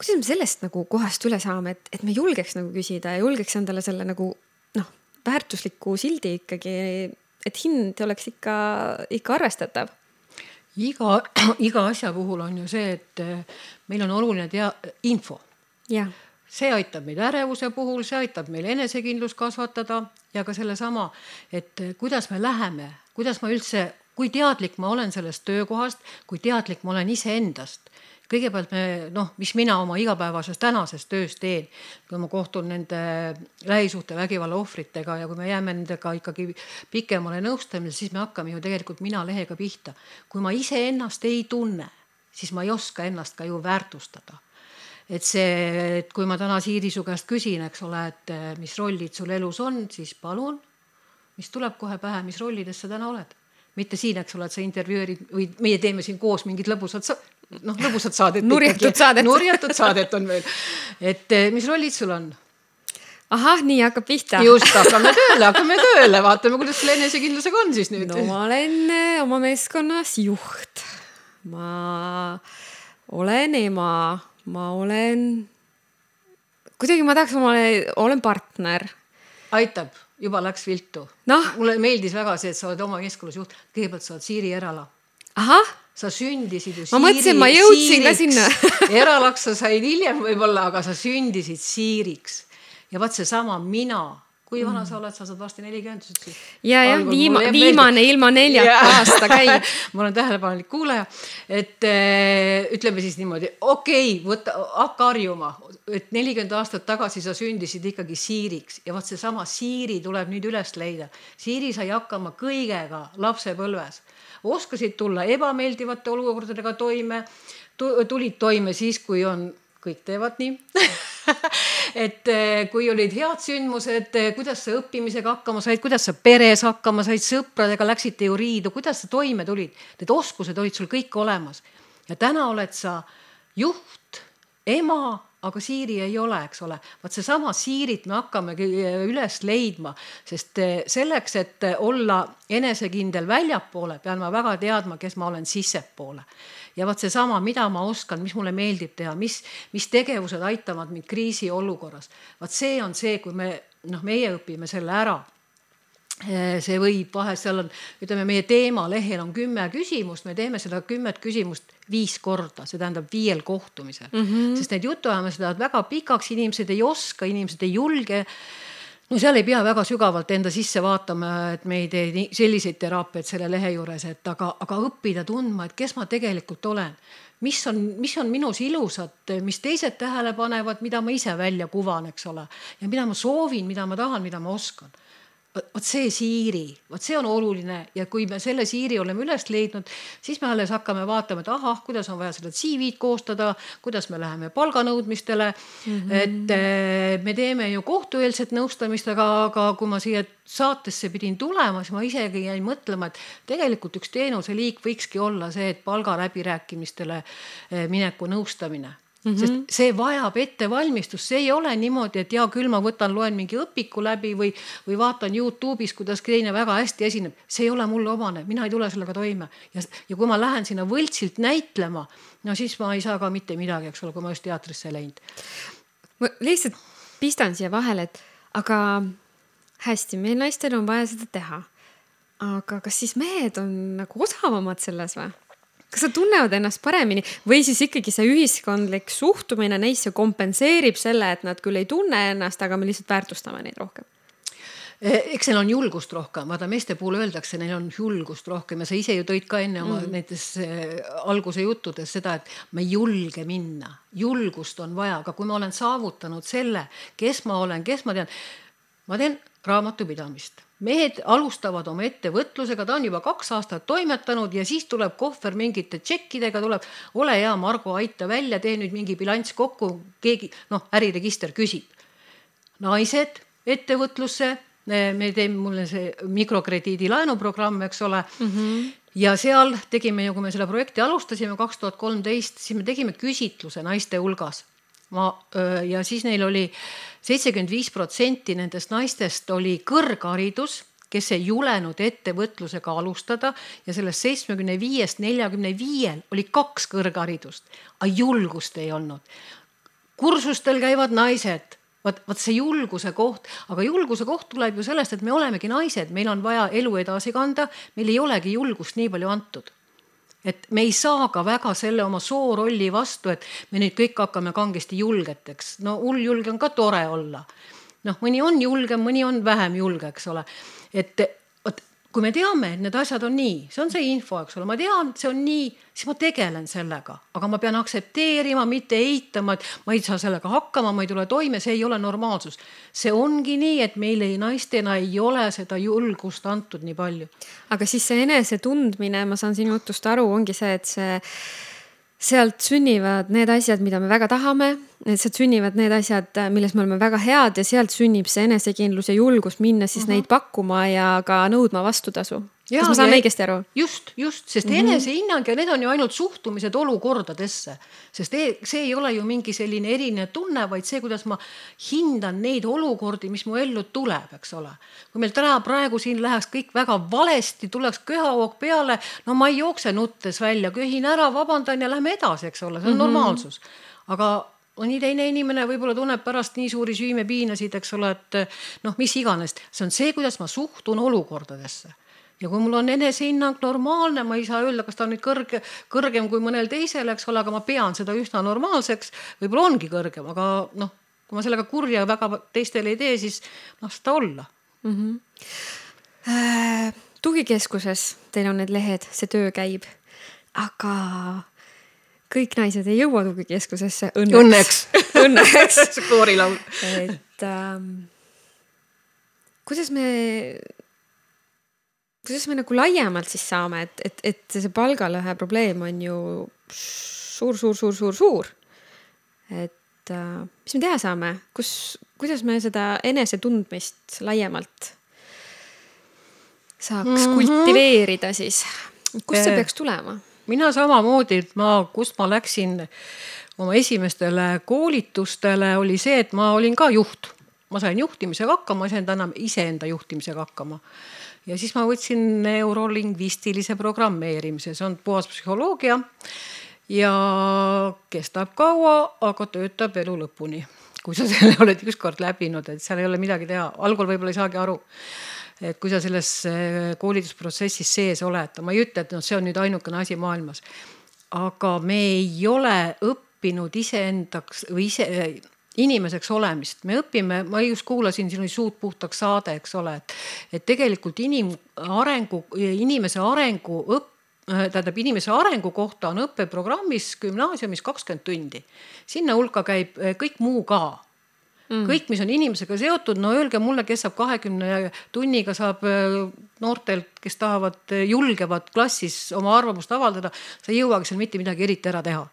kuidas me sellest nagu kohast üle saame, et, et me julgeks nagu küsida ja julgeks endale selle nagu noh, väärtusliku sildi ikkagi, et hind oleks ikka, ikka arvestatav. Iga, iga asja puhul on ju see, et meil on oluline tea, info. Ja. See aitab meil ärevuse puhul, see aitab meil enesekindlus kasvatada ja ka selle sama, et kuidas me läheme, kuidas ma üldse, kui teadlik ma olen sellest töökohast, kui teadlik ma olen ise endast. Kõigepealt me, noh, mis mina oma igapäevases tänases töös teen, kui ma kohtun nende lähisuhte vägivalla ohvritega ja kui me jääme nendega ikkagi pikemale nõustamisele, siis me hakkame ju tegelikult mina lehega pihta. Kui ma ise ennast ei tunne, siis ma ei oska ennast ka ju väärtustada. Et see, et kui ma täna Siiri su käest küsin, eks ole, et mis rollid sul elus on, siis palun, mis tuleb kohe pähe, mis rollides sa täna oled. Mitte siin, eks ole, et sa intervjueerid või meie teeme siin koos mingid lõbusad, noh, lõbusad saadet. Nurjatud saadet. Nurjatud saadet on veel. Et mis rollid sul on? Ahah, nii hakkab pihta. Just, hakkame tööle, hakkame tööle. Vaatame, kuidas selle enesekindlusega on siis nüüd. No ma olen oma meeskonnas juht. Ma olen ema. Ma olen... Kuidagi ma tahaks omale... Olen partner. Aitab. Juba läks viltu. No. Mulle meeldis väga see, et sa oled oma keskulusjuht. Kõigepealt sa oled Siiri Erala. Ahah. Sa sündisid ju Siiri. Ma mõtlesin, ma jõudsin ka sinna. Eralaks sa said hiljem võib-olla, aga sa sündisid Siiriks. Ja vaat see sama mina, kui vana sa oled, sa saad varsti nelikümmend. Ja, ja viima, viimane ilma neljata aasta käib. Ma olen tähelepanelik kuulaja, et äh, ütleme siis niimoodi, okei, okay, võtta, hakka harjuma, et nelikümmend aastat tagasi sa sündisid ikkagi siiriks ja vaat see sama siiri tuleb nüüd üles leida. Siiri sai hakkama kõigega lapsepõlves. Oskasid tulla ebameeldivate olukordadega toime, tulid toime siis, kui on, kõik teevad nii, et kui olid head sündmused, kuidas sa õppimisega hakkama said, kuidas sa peres hakkama said, sõpradega läksite ju riidu, kuidas sa toime tulid. Need oskused olid sul kõik olemas. Ja täna oled sa juht, ema, aga siiri ei ole, eks ole. Vaat see sama siirit me hakkame üles leidma, sest selleks, et olla enesekindel väljapoole, pean ma väga teadma, kes ma olen sissepoole. Ja vaat see sama, mida ma oskan, mis mulle meeldib teha, mis, mis tegevused aitavad mind kriisi olukorras. Vaat see on see, kui me, noh, meie õpime selle ära. See võib vahest, seal on, ütleme, meie teema lehel on kümme küsimust, me teeme seda kümmet küsimust viis korda, see tähendab viiel kohtumisel. Mm-hmm. Sest need jutuajamised lähevad väga pikaks, inimesed ei oska, inimesed ei julge. No seal ei pea väga sügavalt enda sisse vaatama, et me ei tee selliseid teraapiaid selle lehe juures, et aga, aga õppida tundma, et kes ma tegelikult olen. Mis on, mis on minus ilusat, mis teised tähele panevad, mida ma ise välja kuvan, eks ole. Ja mida ma soovin, mida ma tahan, mida ma oskan. Vaat see siiri, vaat see on oluline ja kui me selle siiri oleme üles leidnud, siis me alles hakkame vaatama, et ahah, kuidas on vaja seda C V-d koostada, kuidas me läheme palganõudmistele, mm-hmm. et me teeme ju kohtueelset nõustamist, aga, aga kui ma siia saatesse pidin tulema, siis ma isegi jäin mõtlema, et tegelikult üks teenuse liik võikski olla see, et palga läbirääkimistele mineku nõustamine. Mm-hmm. Sest see vajab ettevalmistust, see ei ole niimoodi, et ja küll ma võtan, loen mingi õpiku läbi või, või vaatan YouTube'is, kuidas teine väga hästi esineb. See ei ole mulle omane, mina ei tule sellega toime. Ja, ja kui ma lähen sinna võltsilt näitlema, no siis ma ei saa ka mitte midagi, eks ole, kui ma just teatrisse läinud. Ma lihtsalt pistan siia vahele, et aga hästi, meil naistel on vaja seda teha. Aga kas siis mehed on nagu osavamad selles või? Kas sa tunnevad ennast paremini või siis ikkagi see ühiskondlik suhtumine neisse kompenseerib selle, et nad küll ei tunne ennast, aga me lihtsalt väärtustame neid rohkem? Eks neil on julgust rohkem, vaata meeste puhul öeldakse, neil on julgust rohkem ja sa ise ju tõid ka enne oma mm. näiteks alguse juttudes seda, et ma ei julge minna. Julgust on vaja, aga kui ma olen saavutanud selle, kes ma olen, kes ma tean, ma teen raamatupidamist. Mehed alustavad oma ettevõtlusega, ta on juba kaks aastat toimetanud ja siis tuleb kohver mingite tšekkidega, tuleb, ole hea, Margo, aita välja, tee nüüd mingi bilanss kokku, keegi, noh, äriregister küsib. Naised ettevõtlusse, me teeme mulle see mikrokrediidi laenuprogramm, eks ole, mm-hmm. ja seal tegime ju, kui me selle projekti alustasime kaks tuhat kolmteist, siis me tegime küsitluse naiste hulgas. Ma, ja siis neil oli seitsekümmend viis protsenti nendest naistest oli kõrgharidus, kes ei julenud ettevõtlusega alustada ja sellest seitsmekümne viiest neljakümne viiel oli kaks kõrgharidust, aga julgust ei olnud. Kursustel käivad naised, vaat, vaat see julguse koht, aga julguse koht tuleb ju sellest, et me olemegi naised, meil on vaja elu edasi kanda, meil ei olegi julgust nii palju antud. Et me ei saa ka väga selle oma soorolli vastu, et me nüüd kõik hakkame kangesti julgeteks. No uljulge on ka tore olla. Noh, mõni on julgem, mõni on vähem julge, eks ole. Et ot, kui me teame, et need asjad on nii, see on see info, eks ole, ma tean, see on nii, siis ma tegelen sellega, aga ma pean aksepteerima, mitte eitama, et ma ei saa sellega hakkama, ma ei tule toime, see ei ole normaalsus. See ongi nii, et meile naistena ei ole seda julgust antud nii palju. Aga siis see enese tundmine, ma saan sinu jutust aru, ongi see, et see sealt sünnivad need asjad, mida me väga tahame, sealt sünnivad need asjad, milles me oleme väga head ja sealt sünnib see enesekindlus ja julgus minna siis uh-huh. neid pakkuma ja ka nõudma vastutasu. Ja, kas ma saan õigesti aru? Just, just, sest mm-hmm. enesehinnang ja need on ju ainult suhtumised olukordadesse, sest see ei ole ju mingi selline erinev tunne, vaid see, kuidas ma hindan neid olukordi, mis mu ellu tuleb, eks ole. Kui meil täna praegu siin läheks kõik väga valesti, tuleks köhahoog peale, no ma ei jookse nuttes välja, köhin ära, vabandan ja lähme edasi, eks ole, see on mm-hmm. normaalsus. Aga mõni teine inimene võib-olla tunneb pärast nii suuri süümepiinasid, eks ole, et noh, mis iganes. See on see, kuidas ma suhtun olukordadesse. Ja kui mul on enesehinnang normaalne, ma ei saa öelda, kas ta on nüüd kõrge, kõrgem kui mõnel teisel, eks ole, aga ma pean seda üsna normaalseks, võib-olla ongi kõrgem, aga noh, kui ma sellega kurja väga teistele ei tee, siis noh, seda olla. Mm-hmm. Äh, tugikeskuses teil on need lehed, see töö käib, aga kõik naised ei jõua tugikeskusesse õnneks. Õnneks. Õnneks. Koorilaul. Et ähm, kuidas me... Kuidas me nagu laiemalt siis saame, et, et, et see palgalõhe probleem on ju suur, suur, suur, suur, suur. Et äh, mis me teha saame? Kus, kuidas me seda enese tundmist laiemalt saaks mm-hmm. kultiveerida siis? Kust see peaks tulema? Mina samamoodi, et ma, kust ma läksin oma esimestele koolitustele, oli see, et ma olin ka juht. Ma sain juhtimisega hakkama, ma sain enam iseenda juhtimisega hakkama. Ja siis ma võtsin neurolingvistilise programmeerimise, see on puhas psühholoogia ja kestab kaua, aga töötab elu lõpuni. Kui sa selle oled ükskord läbinud, et seal ei ole midagi teha, algul võib-olla ei saagi aru, et kui sa selles koolitusprotsessis sees oled, ma ei ütle, et no, see on nüüd ainukene asi maailmas, aga me ei ole õppinud iseendaks või ise inimeseks olemist. Me õpime, ma just kuulasin sinu suud puhtaks saade, eks ole, et, et tegelikult inim, arengu, inimese arengu õpp, tähendab, inimese arengu kohta on õppeprogrammis gümnaasiumis kakskümmend tundi. Sinna hulka käib kõik muu ka. Mm. Kõik, mis on inimesega seotud, no öelge mulle, kes saab kahekümne tunniga saab noortelt, kes tahavad, julgevad klassis oma arvamust avaldada, sa ei jõuagi seal mitte midagi eriti ära teha.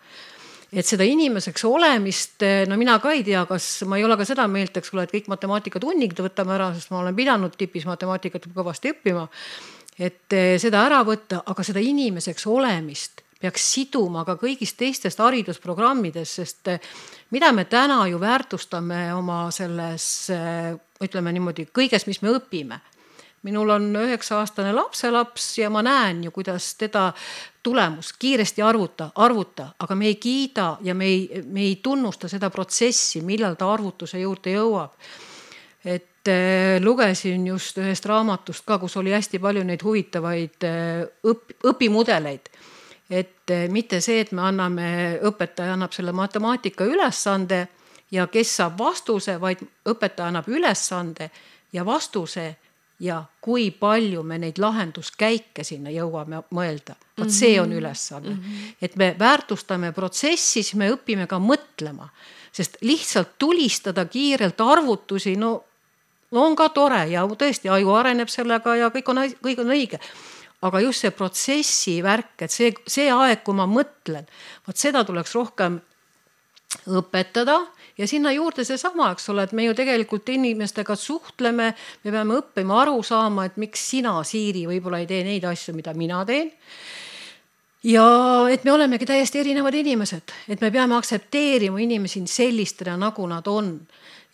Et seda inimeseks olemist, no mina ka ei tea, kas ma ei ole ka seda meelt, eks ole, et kõik matemaatikatunnid võtame ära, sest ma olen pidanud tipis matemaatikat kõvasti õppima, et seda ära võtta, aga seda inimeseks olemist peaks siduma ka kõigist teistest haridusprogrammides, sest mida me täna ju väärtustame oma selles, ütleme niimoodi, kõiges, mis me õpime. Minul on üheksa aastane lapselaps ja ma näen ju, kuidas teda tulemus kiiresti arvuta, arvuta, aga me ei kiida ja me ei, me ei tunnusta seda protsessi, millal ta arvutuse juurde jõuab. Et äh, lugesin just ühest raamatust ka, kus oli hästi palju neid huvitavaid äh, õp, õpimudeleid. Et äh, mitte see, et me anname, õpetaja annab selle matemaatika ülesande ja kes saab vastuse, vaid õpetaja annab ülesande ja vastuse ja kui palju me neid lahenduskäike sinna jõuame mõelda. Vaat see on ülesanne. Mm-hmm. Et me väärtustame protsessi, siis me õpime ka mõtlema. Sest lihtsalt tulistada kiirelt arvutusi, no, no on ka tore ja tõesti aju areneb sellega ja kõik on, kõik on õige. Aga just see protsessi värk, et see, see aeg, kui ma mõtlen, vaat seda tuleks rohkem õpetada ja sinna juurde see sama, eks ole, et me ju tegelikult inimestega suhtleme, me peame õppima aru saama, et miks sina, Siiri, võib-olla ei tee neid asju, mida mina teen. Ja et me olemegi täiesti erinevad inimesed, et me peame aktsepteerima inimesi sellistena, nagu nad on.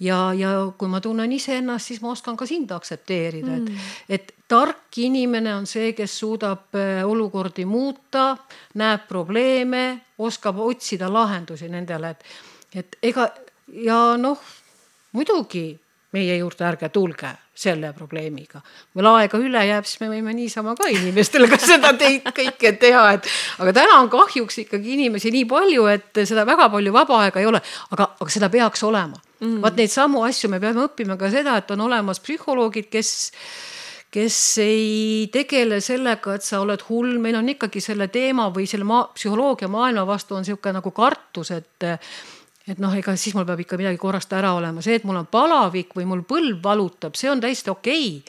Ja, ja kui ma tunnen ise ennast, siis ma oskan ka sind aktsepteerida. Mm. Et, et tark inimene on see, kes suudab olukordi muuta, näeb probleeme, oskab otsida lahendusi nendele. Et, et ega, ja noh, muidugi meie juurde ärge tulge selle probleemiga. Meil aega üle jääb, siis me võime niisama ka inimestele ka seda teid kõike teha. Et, aga täna on kahjuks ikkagi inimesi nii palju, et seda väga palju vaba aega ei ole, aga, aga seda peaks olema. Mm. Vaat neid samu asju me peame õppima ka seda, et on olemas psühholoogid, kes, kes ei tegele sellega, et sa oled hull. Meil on ikkagi selle teema või selle maa, psühholoogia maailma vastu on siuke nagu kartus, et et noh, ega siis mul peab ikka midagi korrast ära olema. See, et mul on palavik või mul põlv valutab, see on täiesti okei.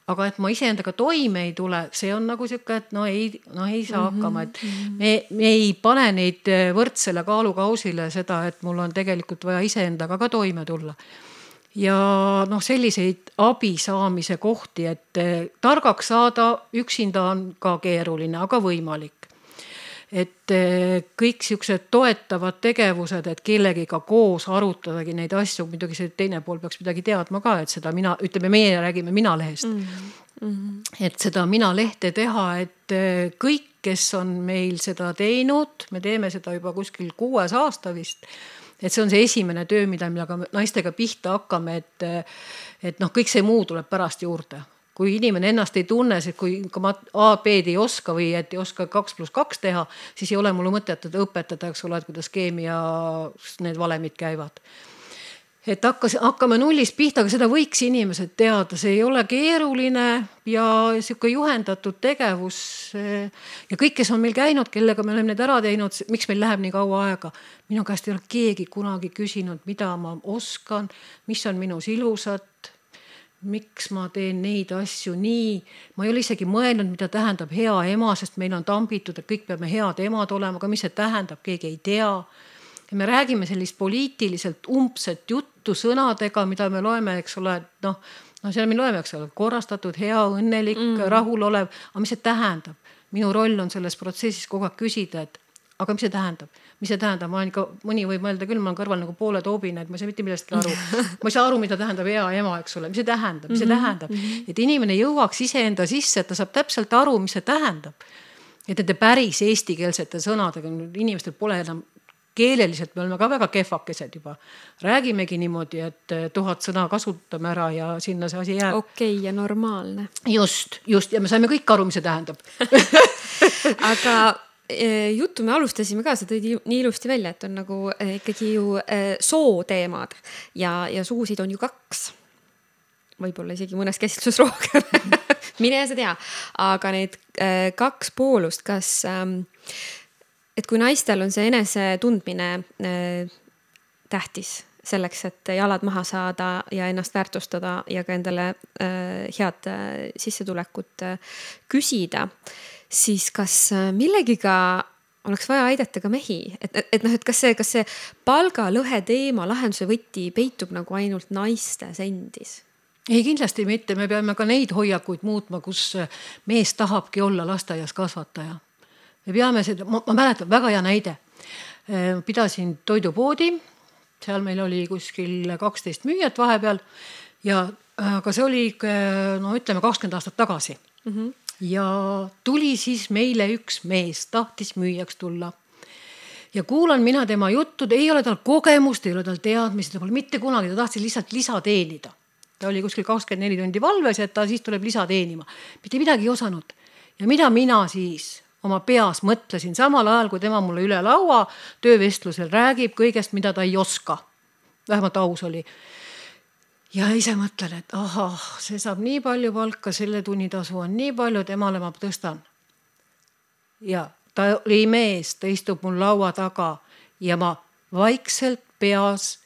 Aga et ma iseendaga toime ei tule, see on nagu siuke, et no ei, no ei saa hakkama. Et me, me ei pane neid võrdsele kaalukausile seda, et mul on tegelikult vaja iseendaga ka toime tulla. Ja noh, selliseid abi saamise kohti, et targaks saada üksinda on ka keeruline, aga võimalik. Et kõik siuksed toetavad tegevused, et kellegiga koos arutadagi neid asju, muidugi see teine pool peaks midagi teadma ka, et seda mina, ütleme, meie räägime Minalehest. Mm-hmm. Et seda Minalehte teha, et kõik, kes on meil seda teinud, me teeme seda juba kuskil kuues aasta vist, et see on see esimene töö, mida me naistega pihta hakkame, et, et noh, kõik see muu tuleb pärast juurde. Kui inimene ennast ei tunne, et kui ma A, B-d ei oska või et ei oska kaks pluss kaks teha, siis ei ole mul mõtet õpetada, eks ole, et kuidas keemia need valemid käivad. et hakkas, hakkame nullist pihta, aga seda võiks inimesed teada, see ei ole keeruline ja sihuke juhendatud tegevus. Ja kõik, kes on meil käinud, kellega me oleme need ära teinud, miks meil läheb nii kaua aega? Minu käest ei ole keegi kunagi küsinud, mida ma oskan, mis on minus ilusat, miks ma teen neid asju nii. Ma ei ole isegi mõelnud, mida tähendab hea ema, sest meil on tambitud, et kõik peame head emad olema, aga mis see tähendab, keegi ei tea. Ja me räägime sellist poliitiliselt umbset juttu sõnadega, mida me loeme, eks ole, noh, no selle me loeme, eks ole, korrastatud, hea, õnnelik, mm. rahul olev, aga mis see tähendab? Minu roll on selles protsessis kogu aeg küsida, et aga mis see tähendab? Mis see tähendab? Ma olen ikka, mõni võib mõelda küll, ma olen kõrval nagu poole toobina, et ma ei saa mitte millestki aru. Ma ei saa aru, mida tähendab hea ema, eks ole. Mis see tähendab? Mis see tähendab? Et inimene jõuaks iseenda sisse, et ta saab täpselt aru, mis see tähendab. Et nende päris eestikeelsete sõnadega inimestel pole enam keeleliselt, me oleme ka väga kehvakesed juba. Räägimegi niimoodi, et tuhat sõna kasutame ära ja sinna see asi jääb. Okei okay, ja normaalne. Just, just. Ja me saime kõik aru, mis see tähendab. Aga juttu me alustasime ka, see tõid nii ilusti välja, et on nagu ikkagi ju soo teemad ja, ja suusid on ju kaks. Võib-olla isegi mõnes käsitlus rohkem. Mine sa tea. Aga need kaks poolust, kas... Et kui naistel on see enese tundmine äh, tähtis selleks, et jalad maha saada ja ennast väärtustada ja ka endale äh, head äh, sissetulekut äh, küsida, siis kas äh, millegiga oleks vaja aidata ka mehi? Et, et, et, noh, et kas see, kas see palgalõhe teema lahenduse võti peitub nagu ainult naistes endis? Ei, kindlasti mitte. Me peame ka neid hoiakuid muutma, kus mees tahabki olla lasteaias kasvataja. Me peame seda, ma, ma mäletan väga hea näide. Pidasin toidupoodi, seal meil oli kuskil kaksteist müüjat vahepeal ja aga see oli, no ütleme, kakskümmend aastat tagasi. Mm-hmm. Ja tuli siis meile üks mees, tahtis müüjaks tulla. Ja kuulan mina tema juttud, ei ole tal kogemust, ei ole tal teadmisi, ta pole mitte kunagi, ta tahtis lihtsalt lisa teenida. Ta oli kuskil kakskümmend neli tundi valves, et ta siis tuleb lisa teenima. Mitte midagi ei osanud. Ja mida mina siis... oma peas mõtlesin samal ajal, kui tema mulle üle laua töövestlusel räägib kõigest, mida ta ei oska. Vähemalt aus oli. Ja ise mõtlen, et ahah, see saab nii palju palka, selle tunnitasu on nii palju, temale ma tõstan. Ja ta oli mees, ta istub mul laua taga ja ma vaikselt peas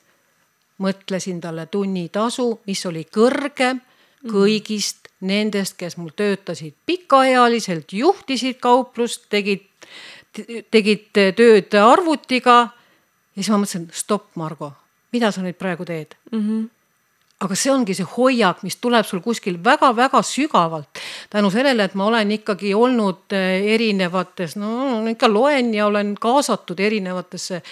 mõtlesin talle tunnitasu, mis oli kõrgem kõigist nendest, kes mul töötasid pikaealiselt, juhtisid kauplust, tegid, tegid tööd arvutiga. Ja siis ma mõtlesin, stopp, Margo, mida sa nüüd praegu teed? Mm-hmm. Aga see ongi see hoiak, mis tuleb sul kuskil väga-väga sügavalt. Tänu sellele, et ma olen ikkagi olnud erinevates, no ikka loen ja olen kaasatud erinevatesse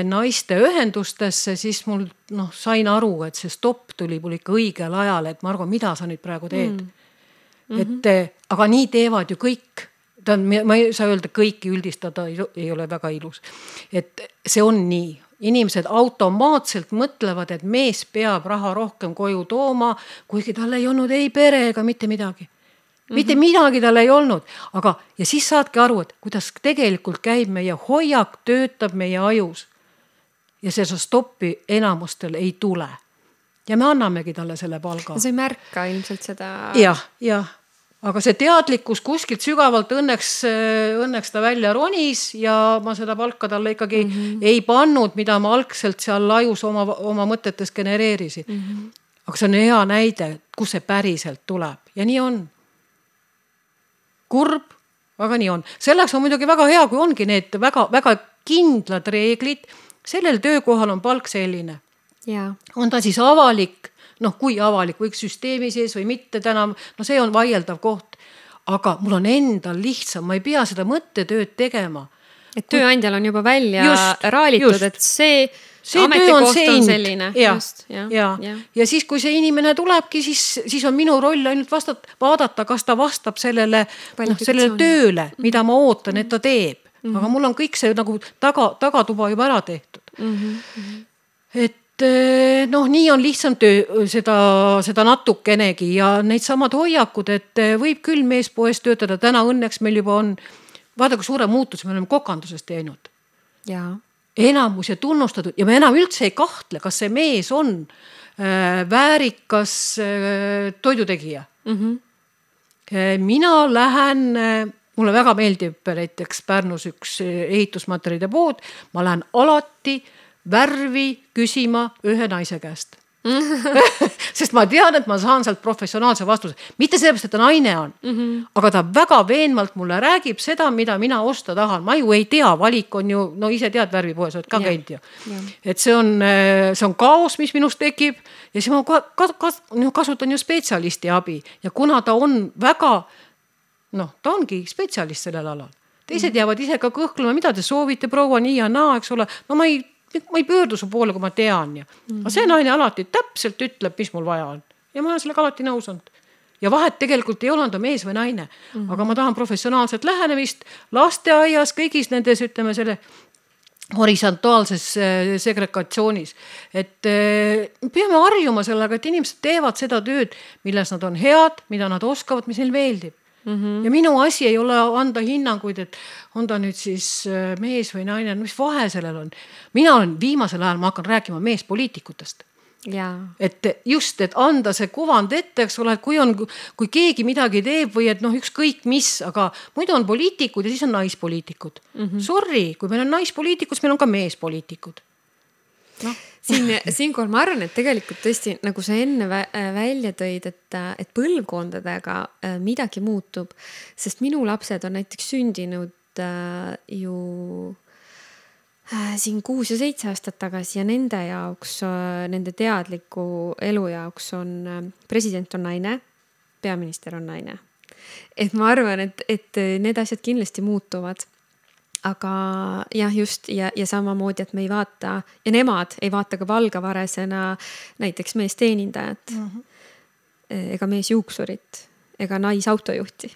naiste ühendustesse, siis mul noh, sain aru, et see stopp tuli mul ikka õigel ajal, et Margo, mida sa nüüd praegu teed? Mm-hmm. Et, aga nii teevad ju kõik. Ta, ma ei saa öelda, kõiki üldistada ei ole väga ilus. Et see on nii. Inimesed automaatselt mõtlevad, et mees peab raha rohkem koju tooma, kuigi tal ei olnud ei pere ega mitte midagi. Mitte midagi tal ei olnud, aga ja siis saadki aru, et kuidas tegelikult käib meie hoiak, töötab meie ajus ja see stoppi enamustel ei tule. Ja me annamegi talle selle palga. See ei märka ilmselt seda. Jah, jah. Aga see teadlikkus kuskilt sügavalt õnneks, õnneks ta välja ronis ja ma seda palka talle ikkagi mm-hmm. ei pannud, mida ma algselt seal ajus oma, oma mõtetes genereerisin. Mm-hmm. Aga see on hea näide, kus see päriselt tuleb ja nii on. Kurb, aga nii on. Selleks on muidugi väga hea, kui ongi need väga, väga kindlad reeglid. Sellel töökohal on palk selline. Ja. On ta siis avalik, noh kui avalik, võiks süsteemi sees või mitte täna, no see on vaieldav koht. Aga mul on endal lihtsam, ma ei pea seda mõttetööd tegema. Et tööandjal on juba välja just, raalitud, just. Et see... See töö on, see on selline. Ja, just, ja, ja. Ja. ja siis, kui see inimene tulebki, siis, siis on minu roll ainult vastat, vaadata, kas ta vastab sellele, no, sellele tööle, mida ma ootan, et ta teeb. Mm-hmm. Aga mul on kõik see nagu taga, tagatuba juba ära tehtud. Mm-hmm. Et noh, nii on lihtsam töö, seda, seda natukenegi ja neid samad hoiakud, et võib küll meespoes töötada. Täna õnneks meil juba on, vaada kui suure muutus me oleme kokandusest teinud. Jaa. enamus ja tunnustatud ja me enam üldse ei kahtle, kas see mees on äh, väärikas äh, toidutegija. Mm-hmm. Äh, mina lähen, äh, mulle väga meeldib näiteks Pärnus üks ehitusmaterjalide pood, ma lähen alati värvi küsima ühe naise käest. Sest ma tean, et ma saan sealt professionaalse vastuse. Mitte sellepärast, et ta naine on, mm-hmm. aga ta väga veenvalt mulle räägib seda, mida mina osta tahan. Ma ju ei tea, valik on ju, no ise tead värvipoes, oled ka yeah. käinud ju. Yeah. Et see on, see on kaos, mis minust tekib ja siis ma ka, ka, ka, kasutan ju spetsialisti abi ja kuna ta on väga, noh, ta ongi spetsialist sellel alal. Teised mm-hmm. jäävad ise ka kõhklema, mida te soovite, proua nii ja naa, eks ole. No ma ei ma ei pöördu su poole, kui ma tean ja mm-hmm. aga see naine alati täpselt ütleb, mis mul vaja on ja ma olen sellega alati nõus olnud ja vahet tegelikult ei ole, on ta mees või naine mm-hmm. aga ma tahan professionaalset lähenemist lasteaias, kõigis nendes, ütleme selle horisontaalses segregatsioonis, et peame harjuma sellega, et inimesed teevad seda tööd, milles nad on head, mida nad oskavad, mis neil meeldib. Mm-hmm. Ja minu asi ei ole anda hinnanguid, et on ta nüüd siis mees või naine, mis vahe sellel on. Mina olen viimasel ajal, ma hakkan rääkima meespoliitikutest. Ja. Et just, et anda see kuvand ette, eks ole, et kui, on, kui keegi midagi teeb või et noh, ükskõik mis, aga muidu on poliitikud ja siis on naispoliitikud. Mm-hmm. Sorry, kui meil on naispoliitikud, siis meil on ka meespoliitikud. No. Siin, siinkohal ma arvan, et tegelikult tõesti, nagu sa enne välja tõid, et, et põlvkondadega midagi muutub, sest minu lapsed on näiteks sündinud ju siin kuus ja seitse aastat tagasi ja nende jaoks, nende teadliku elu jaoks on president on naine, peaminister on naine. Et ma arvan, et, et need asjad kindlasti muutuvad. Aga jah, just ja, ja samamoodi, et me ei vaata ja nemad ei vaata ka valgavaresena näiteks meesteenindajat mm-hmm. ega meesjuuksurit ega naisautojuhti.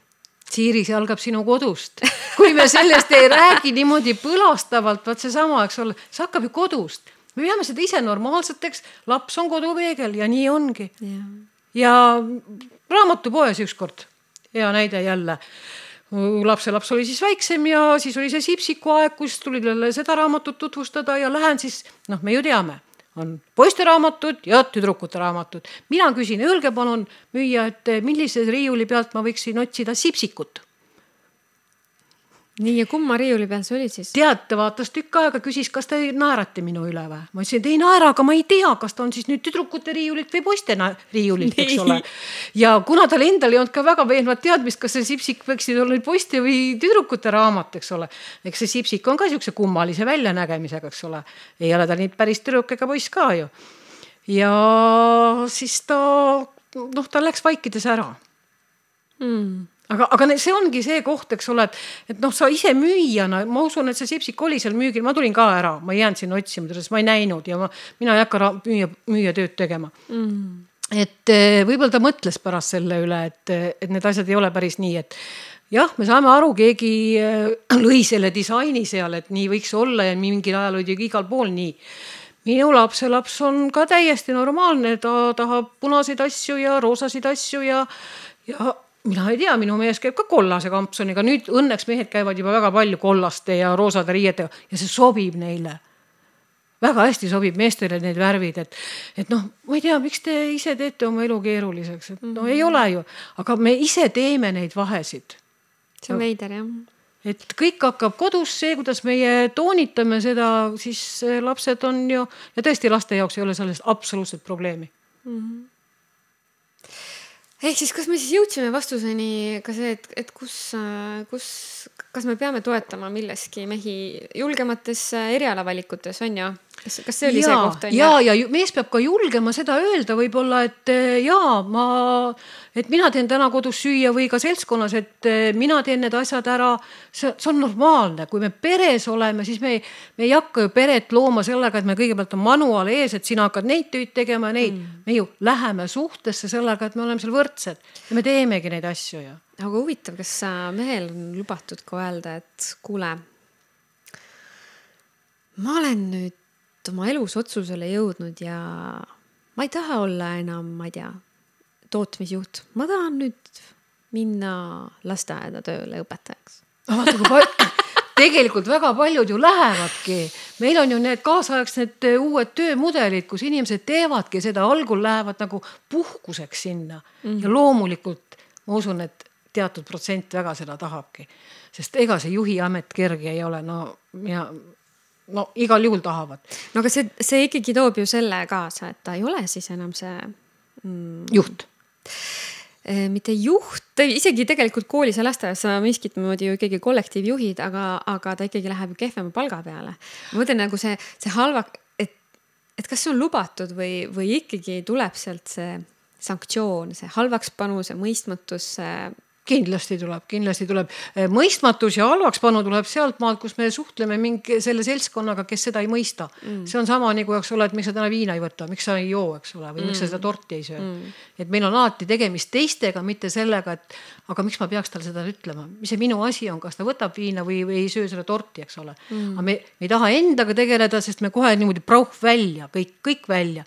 Siiri, see algab sinu kodust. Kui me sellest ei räägi niimoodi põlastavalt, vaat see sama, eks ole, see hakkab ju kodust. Me peame seda ise normaalseteks, laps on kodupeegel ja nii ongi. Ja, ja raamatupoes ükskord, hea näide jälle. Lapse laps oli siis väiksem ja siis oli see Sipsiku aeg, kus tuli seda raamatut tutvustada ja lähen siis, noh, me ju teame, on poiste raamatud ja tüdrukute raamatud. Mina küsin, öelge palun müüa, et millise riiuli pealt ma võiksin otsida Sipsikut. Nii ja kumma riiuli peal see oli siis? Tead, ta vaatas tükk aega, küsis, kas te naerate minu üle või? Ma ütlesin, et ei naera, aga ma ei tea, kas ta on siis nüüd tüdrukute riiulit või poiste riiulit, eks ole. Ja kuna tal endal ei olnud ka väga veenvat teadmist, kas see Sipsik võiksid olla nüüd poiste või tüdrukute raamat, eks ole. Eks see Sipsik on ka siukse kummalise väljanägemisega, eks ole. Ei ole ta nii päris tüdruk ega poiss ka ju. Ja siis ta, noh, ta läks vaikides ära. Hmm. Aga, aga see ongi see koht, eks ole, et, et noh, sa ise müüjana, ma usun, et see Sipsik oli seal müügil, ma tulin ka ära, ma ei jäänud siin otsima, sest ma ei näinud ja ma, mina ei hakka müüja, müüja tööd tegema. Mm. Et võib-olla ta mõtles pärast selle üle, et, et need asjad ei ole päris nii, et jah, me saame aru, keegi lõi selle disaini seal, et nii võiks olla ja mingil ajal oli igal pool nii. Minu lapse laps on ka täiesti normaalne, ta tahab punaseid asju ja roosasid asju ja, ja mina ei tea, minu mees käib ka kollase kampsoniga. Nüüd õnneks mehed käivad juba väga palju kollaste ja roosade riietega ja see sobib neile. Väga hästi sobib meestele need värvid, et, et noh, ma ei tea, miks te ise teete oma elu keeruliseks. Et no ei ole ju, aga me ise teeme neid vahesid. See on veider, jah. Et kõik hakkab kodus see, kuidas meie toonitame seda, siis lapsed on ju, ja tõesti laste jaoks ei ole sellest absoluutselt probleemi. Mm-hmm. Ehk siis, kas me siis jõudsime vastuseni ka see, et, et kus, kus, kas me peame toetama milleski mehi julgemates erialavalikutes, on ju? Kas, kas see oli ja, see koht? On ja, ja mees peab ka julgema seda öelda võib-olla, et jaa, ma, et mina teen täna kodus süüa või ka seltskonnas, et mina teen need asjad ära. See, see on normaalne. Kui me peres oleme, siis me, me ei hakka ju peret looma sellega, et me kõigepealt on manuaal ees, et sina hakkad neid tööd tegema ja neid. Mm. Me ju läheme suhtesse sellega, et me oleme seal võrdsed ja me teemegi neid asju. Ja. Aga huvitav, kas mehel on lubatud ka öelda, et kuule, ma olen nüüd oma elus otsusele jõudnud ja ma ei taha olla enam, ma ei tea, tootmisjuht. Ma tahan nüüd minna lasteaeda tööle õpetajaks. Tegelikult väga paljud ju lähevadki. meil on ju need kaasaegsed uued töömudelid, kus inimesed teevadki seda, algul lähevad nagu puhkuseks sinna mm-hmm. ja loomulikult ma usun, et teatud protsent väga seda tahabki, sest ega see juhi amet kerge ei ole, no ja no igal juhul tahavad. No aga see, see ikkagi toob ju selle kaasa, et ta ei ole siis enam see mm, juht. Mitte juht, isegi tegelikult koolis ja lasteaias miskit moodi ju ikkagi kollektiivjuhid, aga, aga ta ikkagi läheb ju kehvema palga peale. Ma mõtlen nagu see, see halva, et, et kas see on lubatud või, või ikkagi tuleb sealt see sanktsioon, see halvaks panu, see mõistmatus, see kindlasti tuleb, kindlasti tuleb. Mõistmatus ja halvaks panu tuleb sealt maalt, kus me suhtleme mingi selle seltskonnaga, kes seda ei mõista. Mm. See on sama nagu, eks ole, et miks sa täna viina ei võta, miks sa ei joo, eks ole, või mm. miks sa seda torti ei söö. Mm. Et meil on alati tegemist teistega, mitte sellega, et aga miks ma peaks tal seda ütlema? Mis see minu asi on, kas ta võtab viina või, või ei söö seda torti, eks ole. Mm. Aga me, me ei taha endaga tegeleda, sest me kohe niimoodi prauh välja, kõik, kõik välja.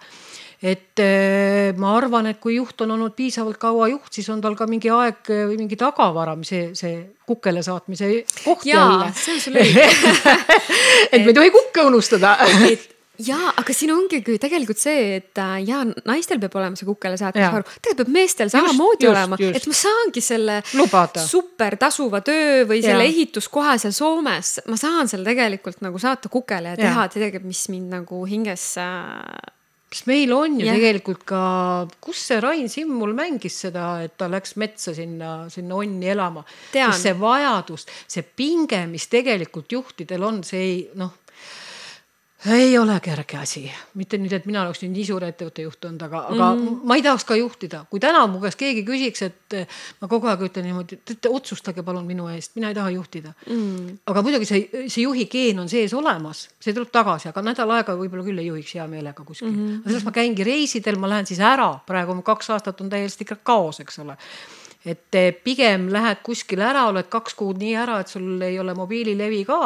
Et äh, ma arvan, et kui juht on olnud piisavalt kaua juht, siis on tal ka mingi aeg või mingi tagavara, see, see kukkele saatmise koht jälle. Jaa, see on sul õige. et me ei tohi kukke unustada. et, jaa, aga siin ongi tegelikult see, et jaa, naistel peab olema see kukkele saatmise varu. Tegelikult peab meestel samamoodi olema, just. Et ma saangi selle Lubada. super tasuva töö või selle ja. ehituskoha seal Soomes. Ma saan selle tegelikult nagu saata kukkele ja teha ja. tegelikult, mis mind nagu hinges Kas meil on ju yeah. tegelikult ka, kus see Rain Simmul mängis seda, et ta läks metsa sinna, sinna onni elama. Tean. See vajadus, see pinge, mis tegelikult juhtidel on, see ei, noh, ei ole kerge asi. Mitte nüüd, et mina oleks nüüd nii suure ettevõtte juht olnud, aga, aga mm-hmm. ma ei tahaks ka juhtida. Kui täna mu käest keegi küsiks, et ma kogu aeg ütlen niimoodi, et otsustage palun minu eest, mina ei taha juhtida. Mm. Aga muidugi see, see juhi geen on sees olemas, see tuleb tagasi, aga nädal aega võib-olla küll ei juhiks hea meelega kuskil. Mm-hmm. Sellest ma käingi reisidel, ma lähen siis ära, praegu kaks aastat on täiesti ikka kaos, eks ole. Et pigem lähed kuskil ära, oled kaks kuud nii ära, et sul ei ole mobiililevi ka.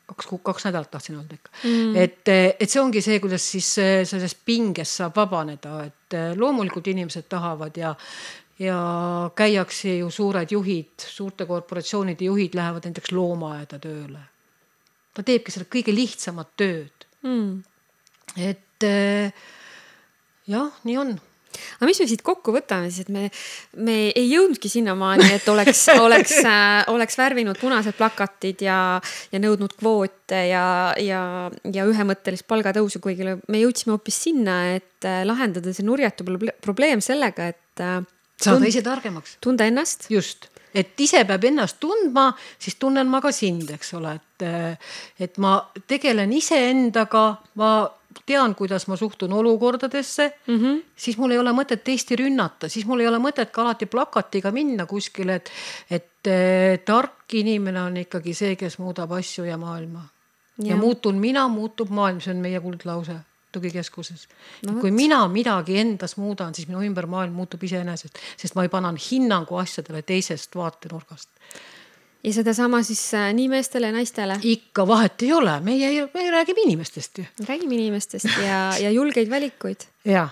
Kaks, kaks nädalat tahtsin öelda ikka. Mm. Et, et see ongi see, kuidas siis sellest pingest saab vabaneda, et loomulikult inimesed tahavad ja, ja käiakse ju suured juhid, suurte korporatsioonide juhid lähevad näiteks loomaaeda tööle. Ta teebki selle kõige lihtsamat tööd. Mm. Et jah, nii on. Aga mis me siit kokku võtame siis, et me, me ei jõudnudki sinnamaani, et oleks, oleks, äh, oleks värvinud punased plakatid ja, ja nõudnud kvoote ja, ja, ja ühemõttelist palgatõusu, kuigi me jõudsime hoopis sinna, et äh, lahendada see nurjatu probleem sellega, et äh, saada tund, ise targemaks. Tunda ennast. Just. Et ise peab ennast tundma, siis tunnen ma ka sind, eks ole. Et, et ma tegelen ise endaga, ma tean, kuidas ma suhtun olukordadesse, mm-hmm. siis mul ei ole mõtet teiste rünnata, siis mul ei ole mõtet ka alati plakatiga minna kuskile, et, et tark inimene on ikkagi see, kes muudab asju ja maailma. Ja, ja muutun mina, muutub maailm, see on meie kuldlause tugikeskuses. No, kui mina midagi endas muudan, siis minu ümber maailm muutub iseenesest, sest ma ei panan hinnangu asjadele teisest vaatenurgast. Ja seda sama siis nii meestele ja naistele? Ikka vahet ei ole, meie, meie räägime inimestest ju. Räägime inimestest ja, ja julgeid valikuid. Ja,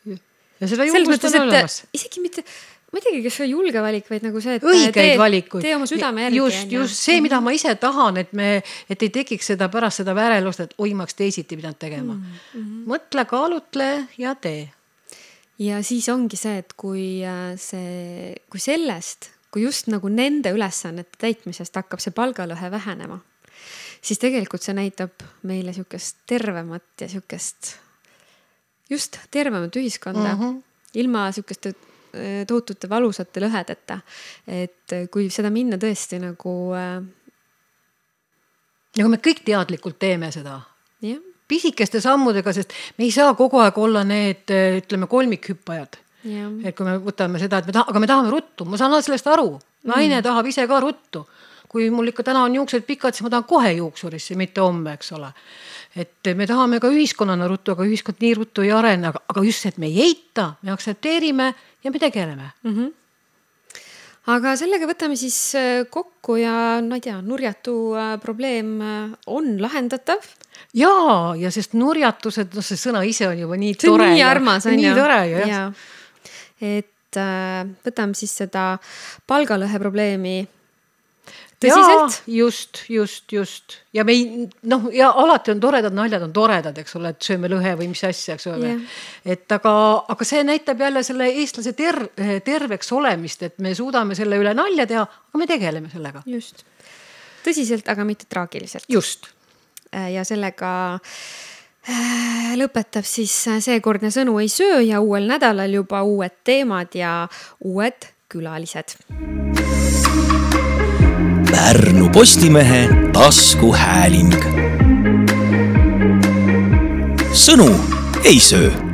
ja seda julgust on olemas. Isegi mitte, ma ei teagi, kas see julge valik, vaid nagu see, et õigeid tee, valikuid. Tee oma südame järgi. Just, just see, mida ma ise tahan, et, me, et ei tekiks seda pärast seda värelust, et oi, ma oleks teisiti pidanud tegema. Mm-hmm. Mõtle, kaalutle ja tee. Ja siis ongi see, et kui, see, kui sellest kui just nagu nende ülesannete täitmisest hakkab see palgalõhe vähenema, siis tegelikult see näitab meile sihukest tervemat ja sihukest just tervemat ühiskonda, mm-hmm. ilma sihukeste tohutute valusate lõhedeta. Et kui seda minna tõesti nagu ja kui me kõik teadlikult teeme seda ja. Pisikeste sammudega, sest me ei saa kogu aeg olla need, ütleme, kolmikhüppajad. Ja. Et kui me võtame seda, et me tahame, aga me tahame ruttu, ma saan sellest aru, naine mm. tahab ise ka ruttu. Kui mul ikka täna on juuksed pikad, siis ma tahan kohe juuksurisse, mitte homme, eks ole. Et me tahame ka ühiskonnana ruttu, aga ühiskond nii ruttu ei arene, aga, aga just see, et me ei eita, me aktsepteerime ja me tegeleme. Mm-hmm. Aga sellega võtame siis kokku ja no ei tea, nurjatu probleem on lahendatav. Jaa, ja sest nurjatused, no see sõna ise on juba nii tore. Nii armas on nii ja. tore, ja. ja. Et äh, võtame siis seda palgalõhe probleemi tõsiselt? Just, just, just. Ja me ei, noh, ja alati on toredad naljad, on toredad, eks ole, et sööme lõhe või mis asja, eks ole. Yeah. Et aga, aga see näitab jälle selle eestlase ter, terveks olemist, et me suudame selle üle nalja teha, aga me tegeleme sellega. Just. Tõsiselt, aga mitte traagiliselt. Just. Ja sellega lõpetab siis seekordne Sõnu ei söö ja uuel nädalal juba uued teemad ja uued külalised. Pärnu Postimehe taskuhääling. Sõnu ei söö.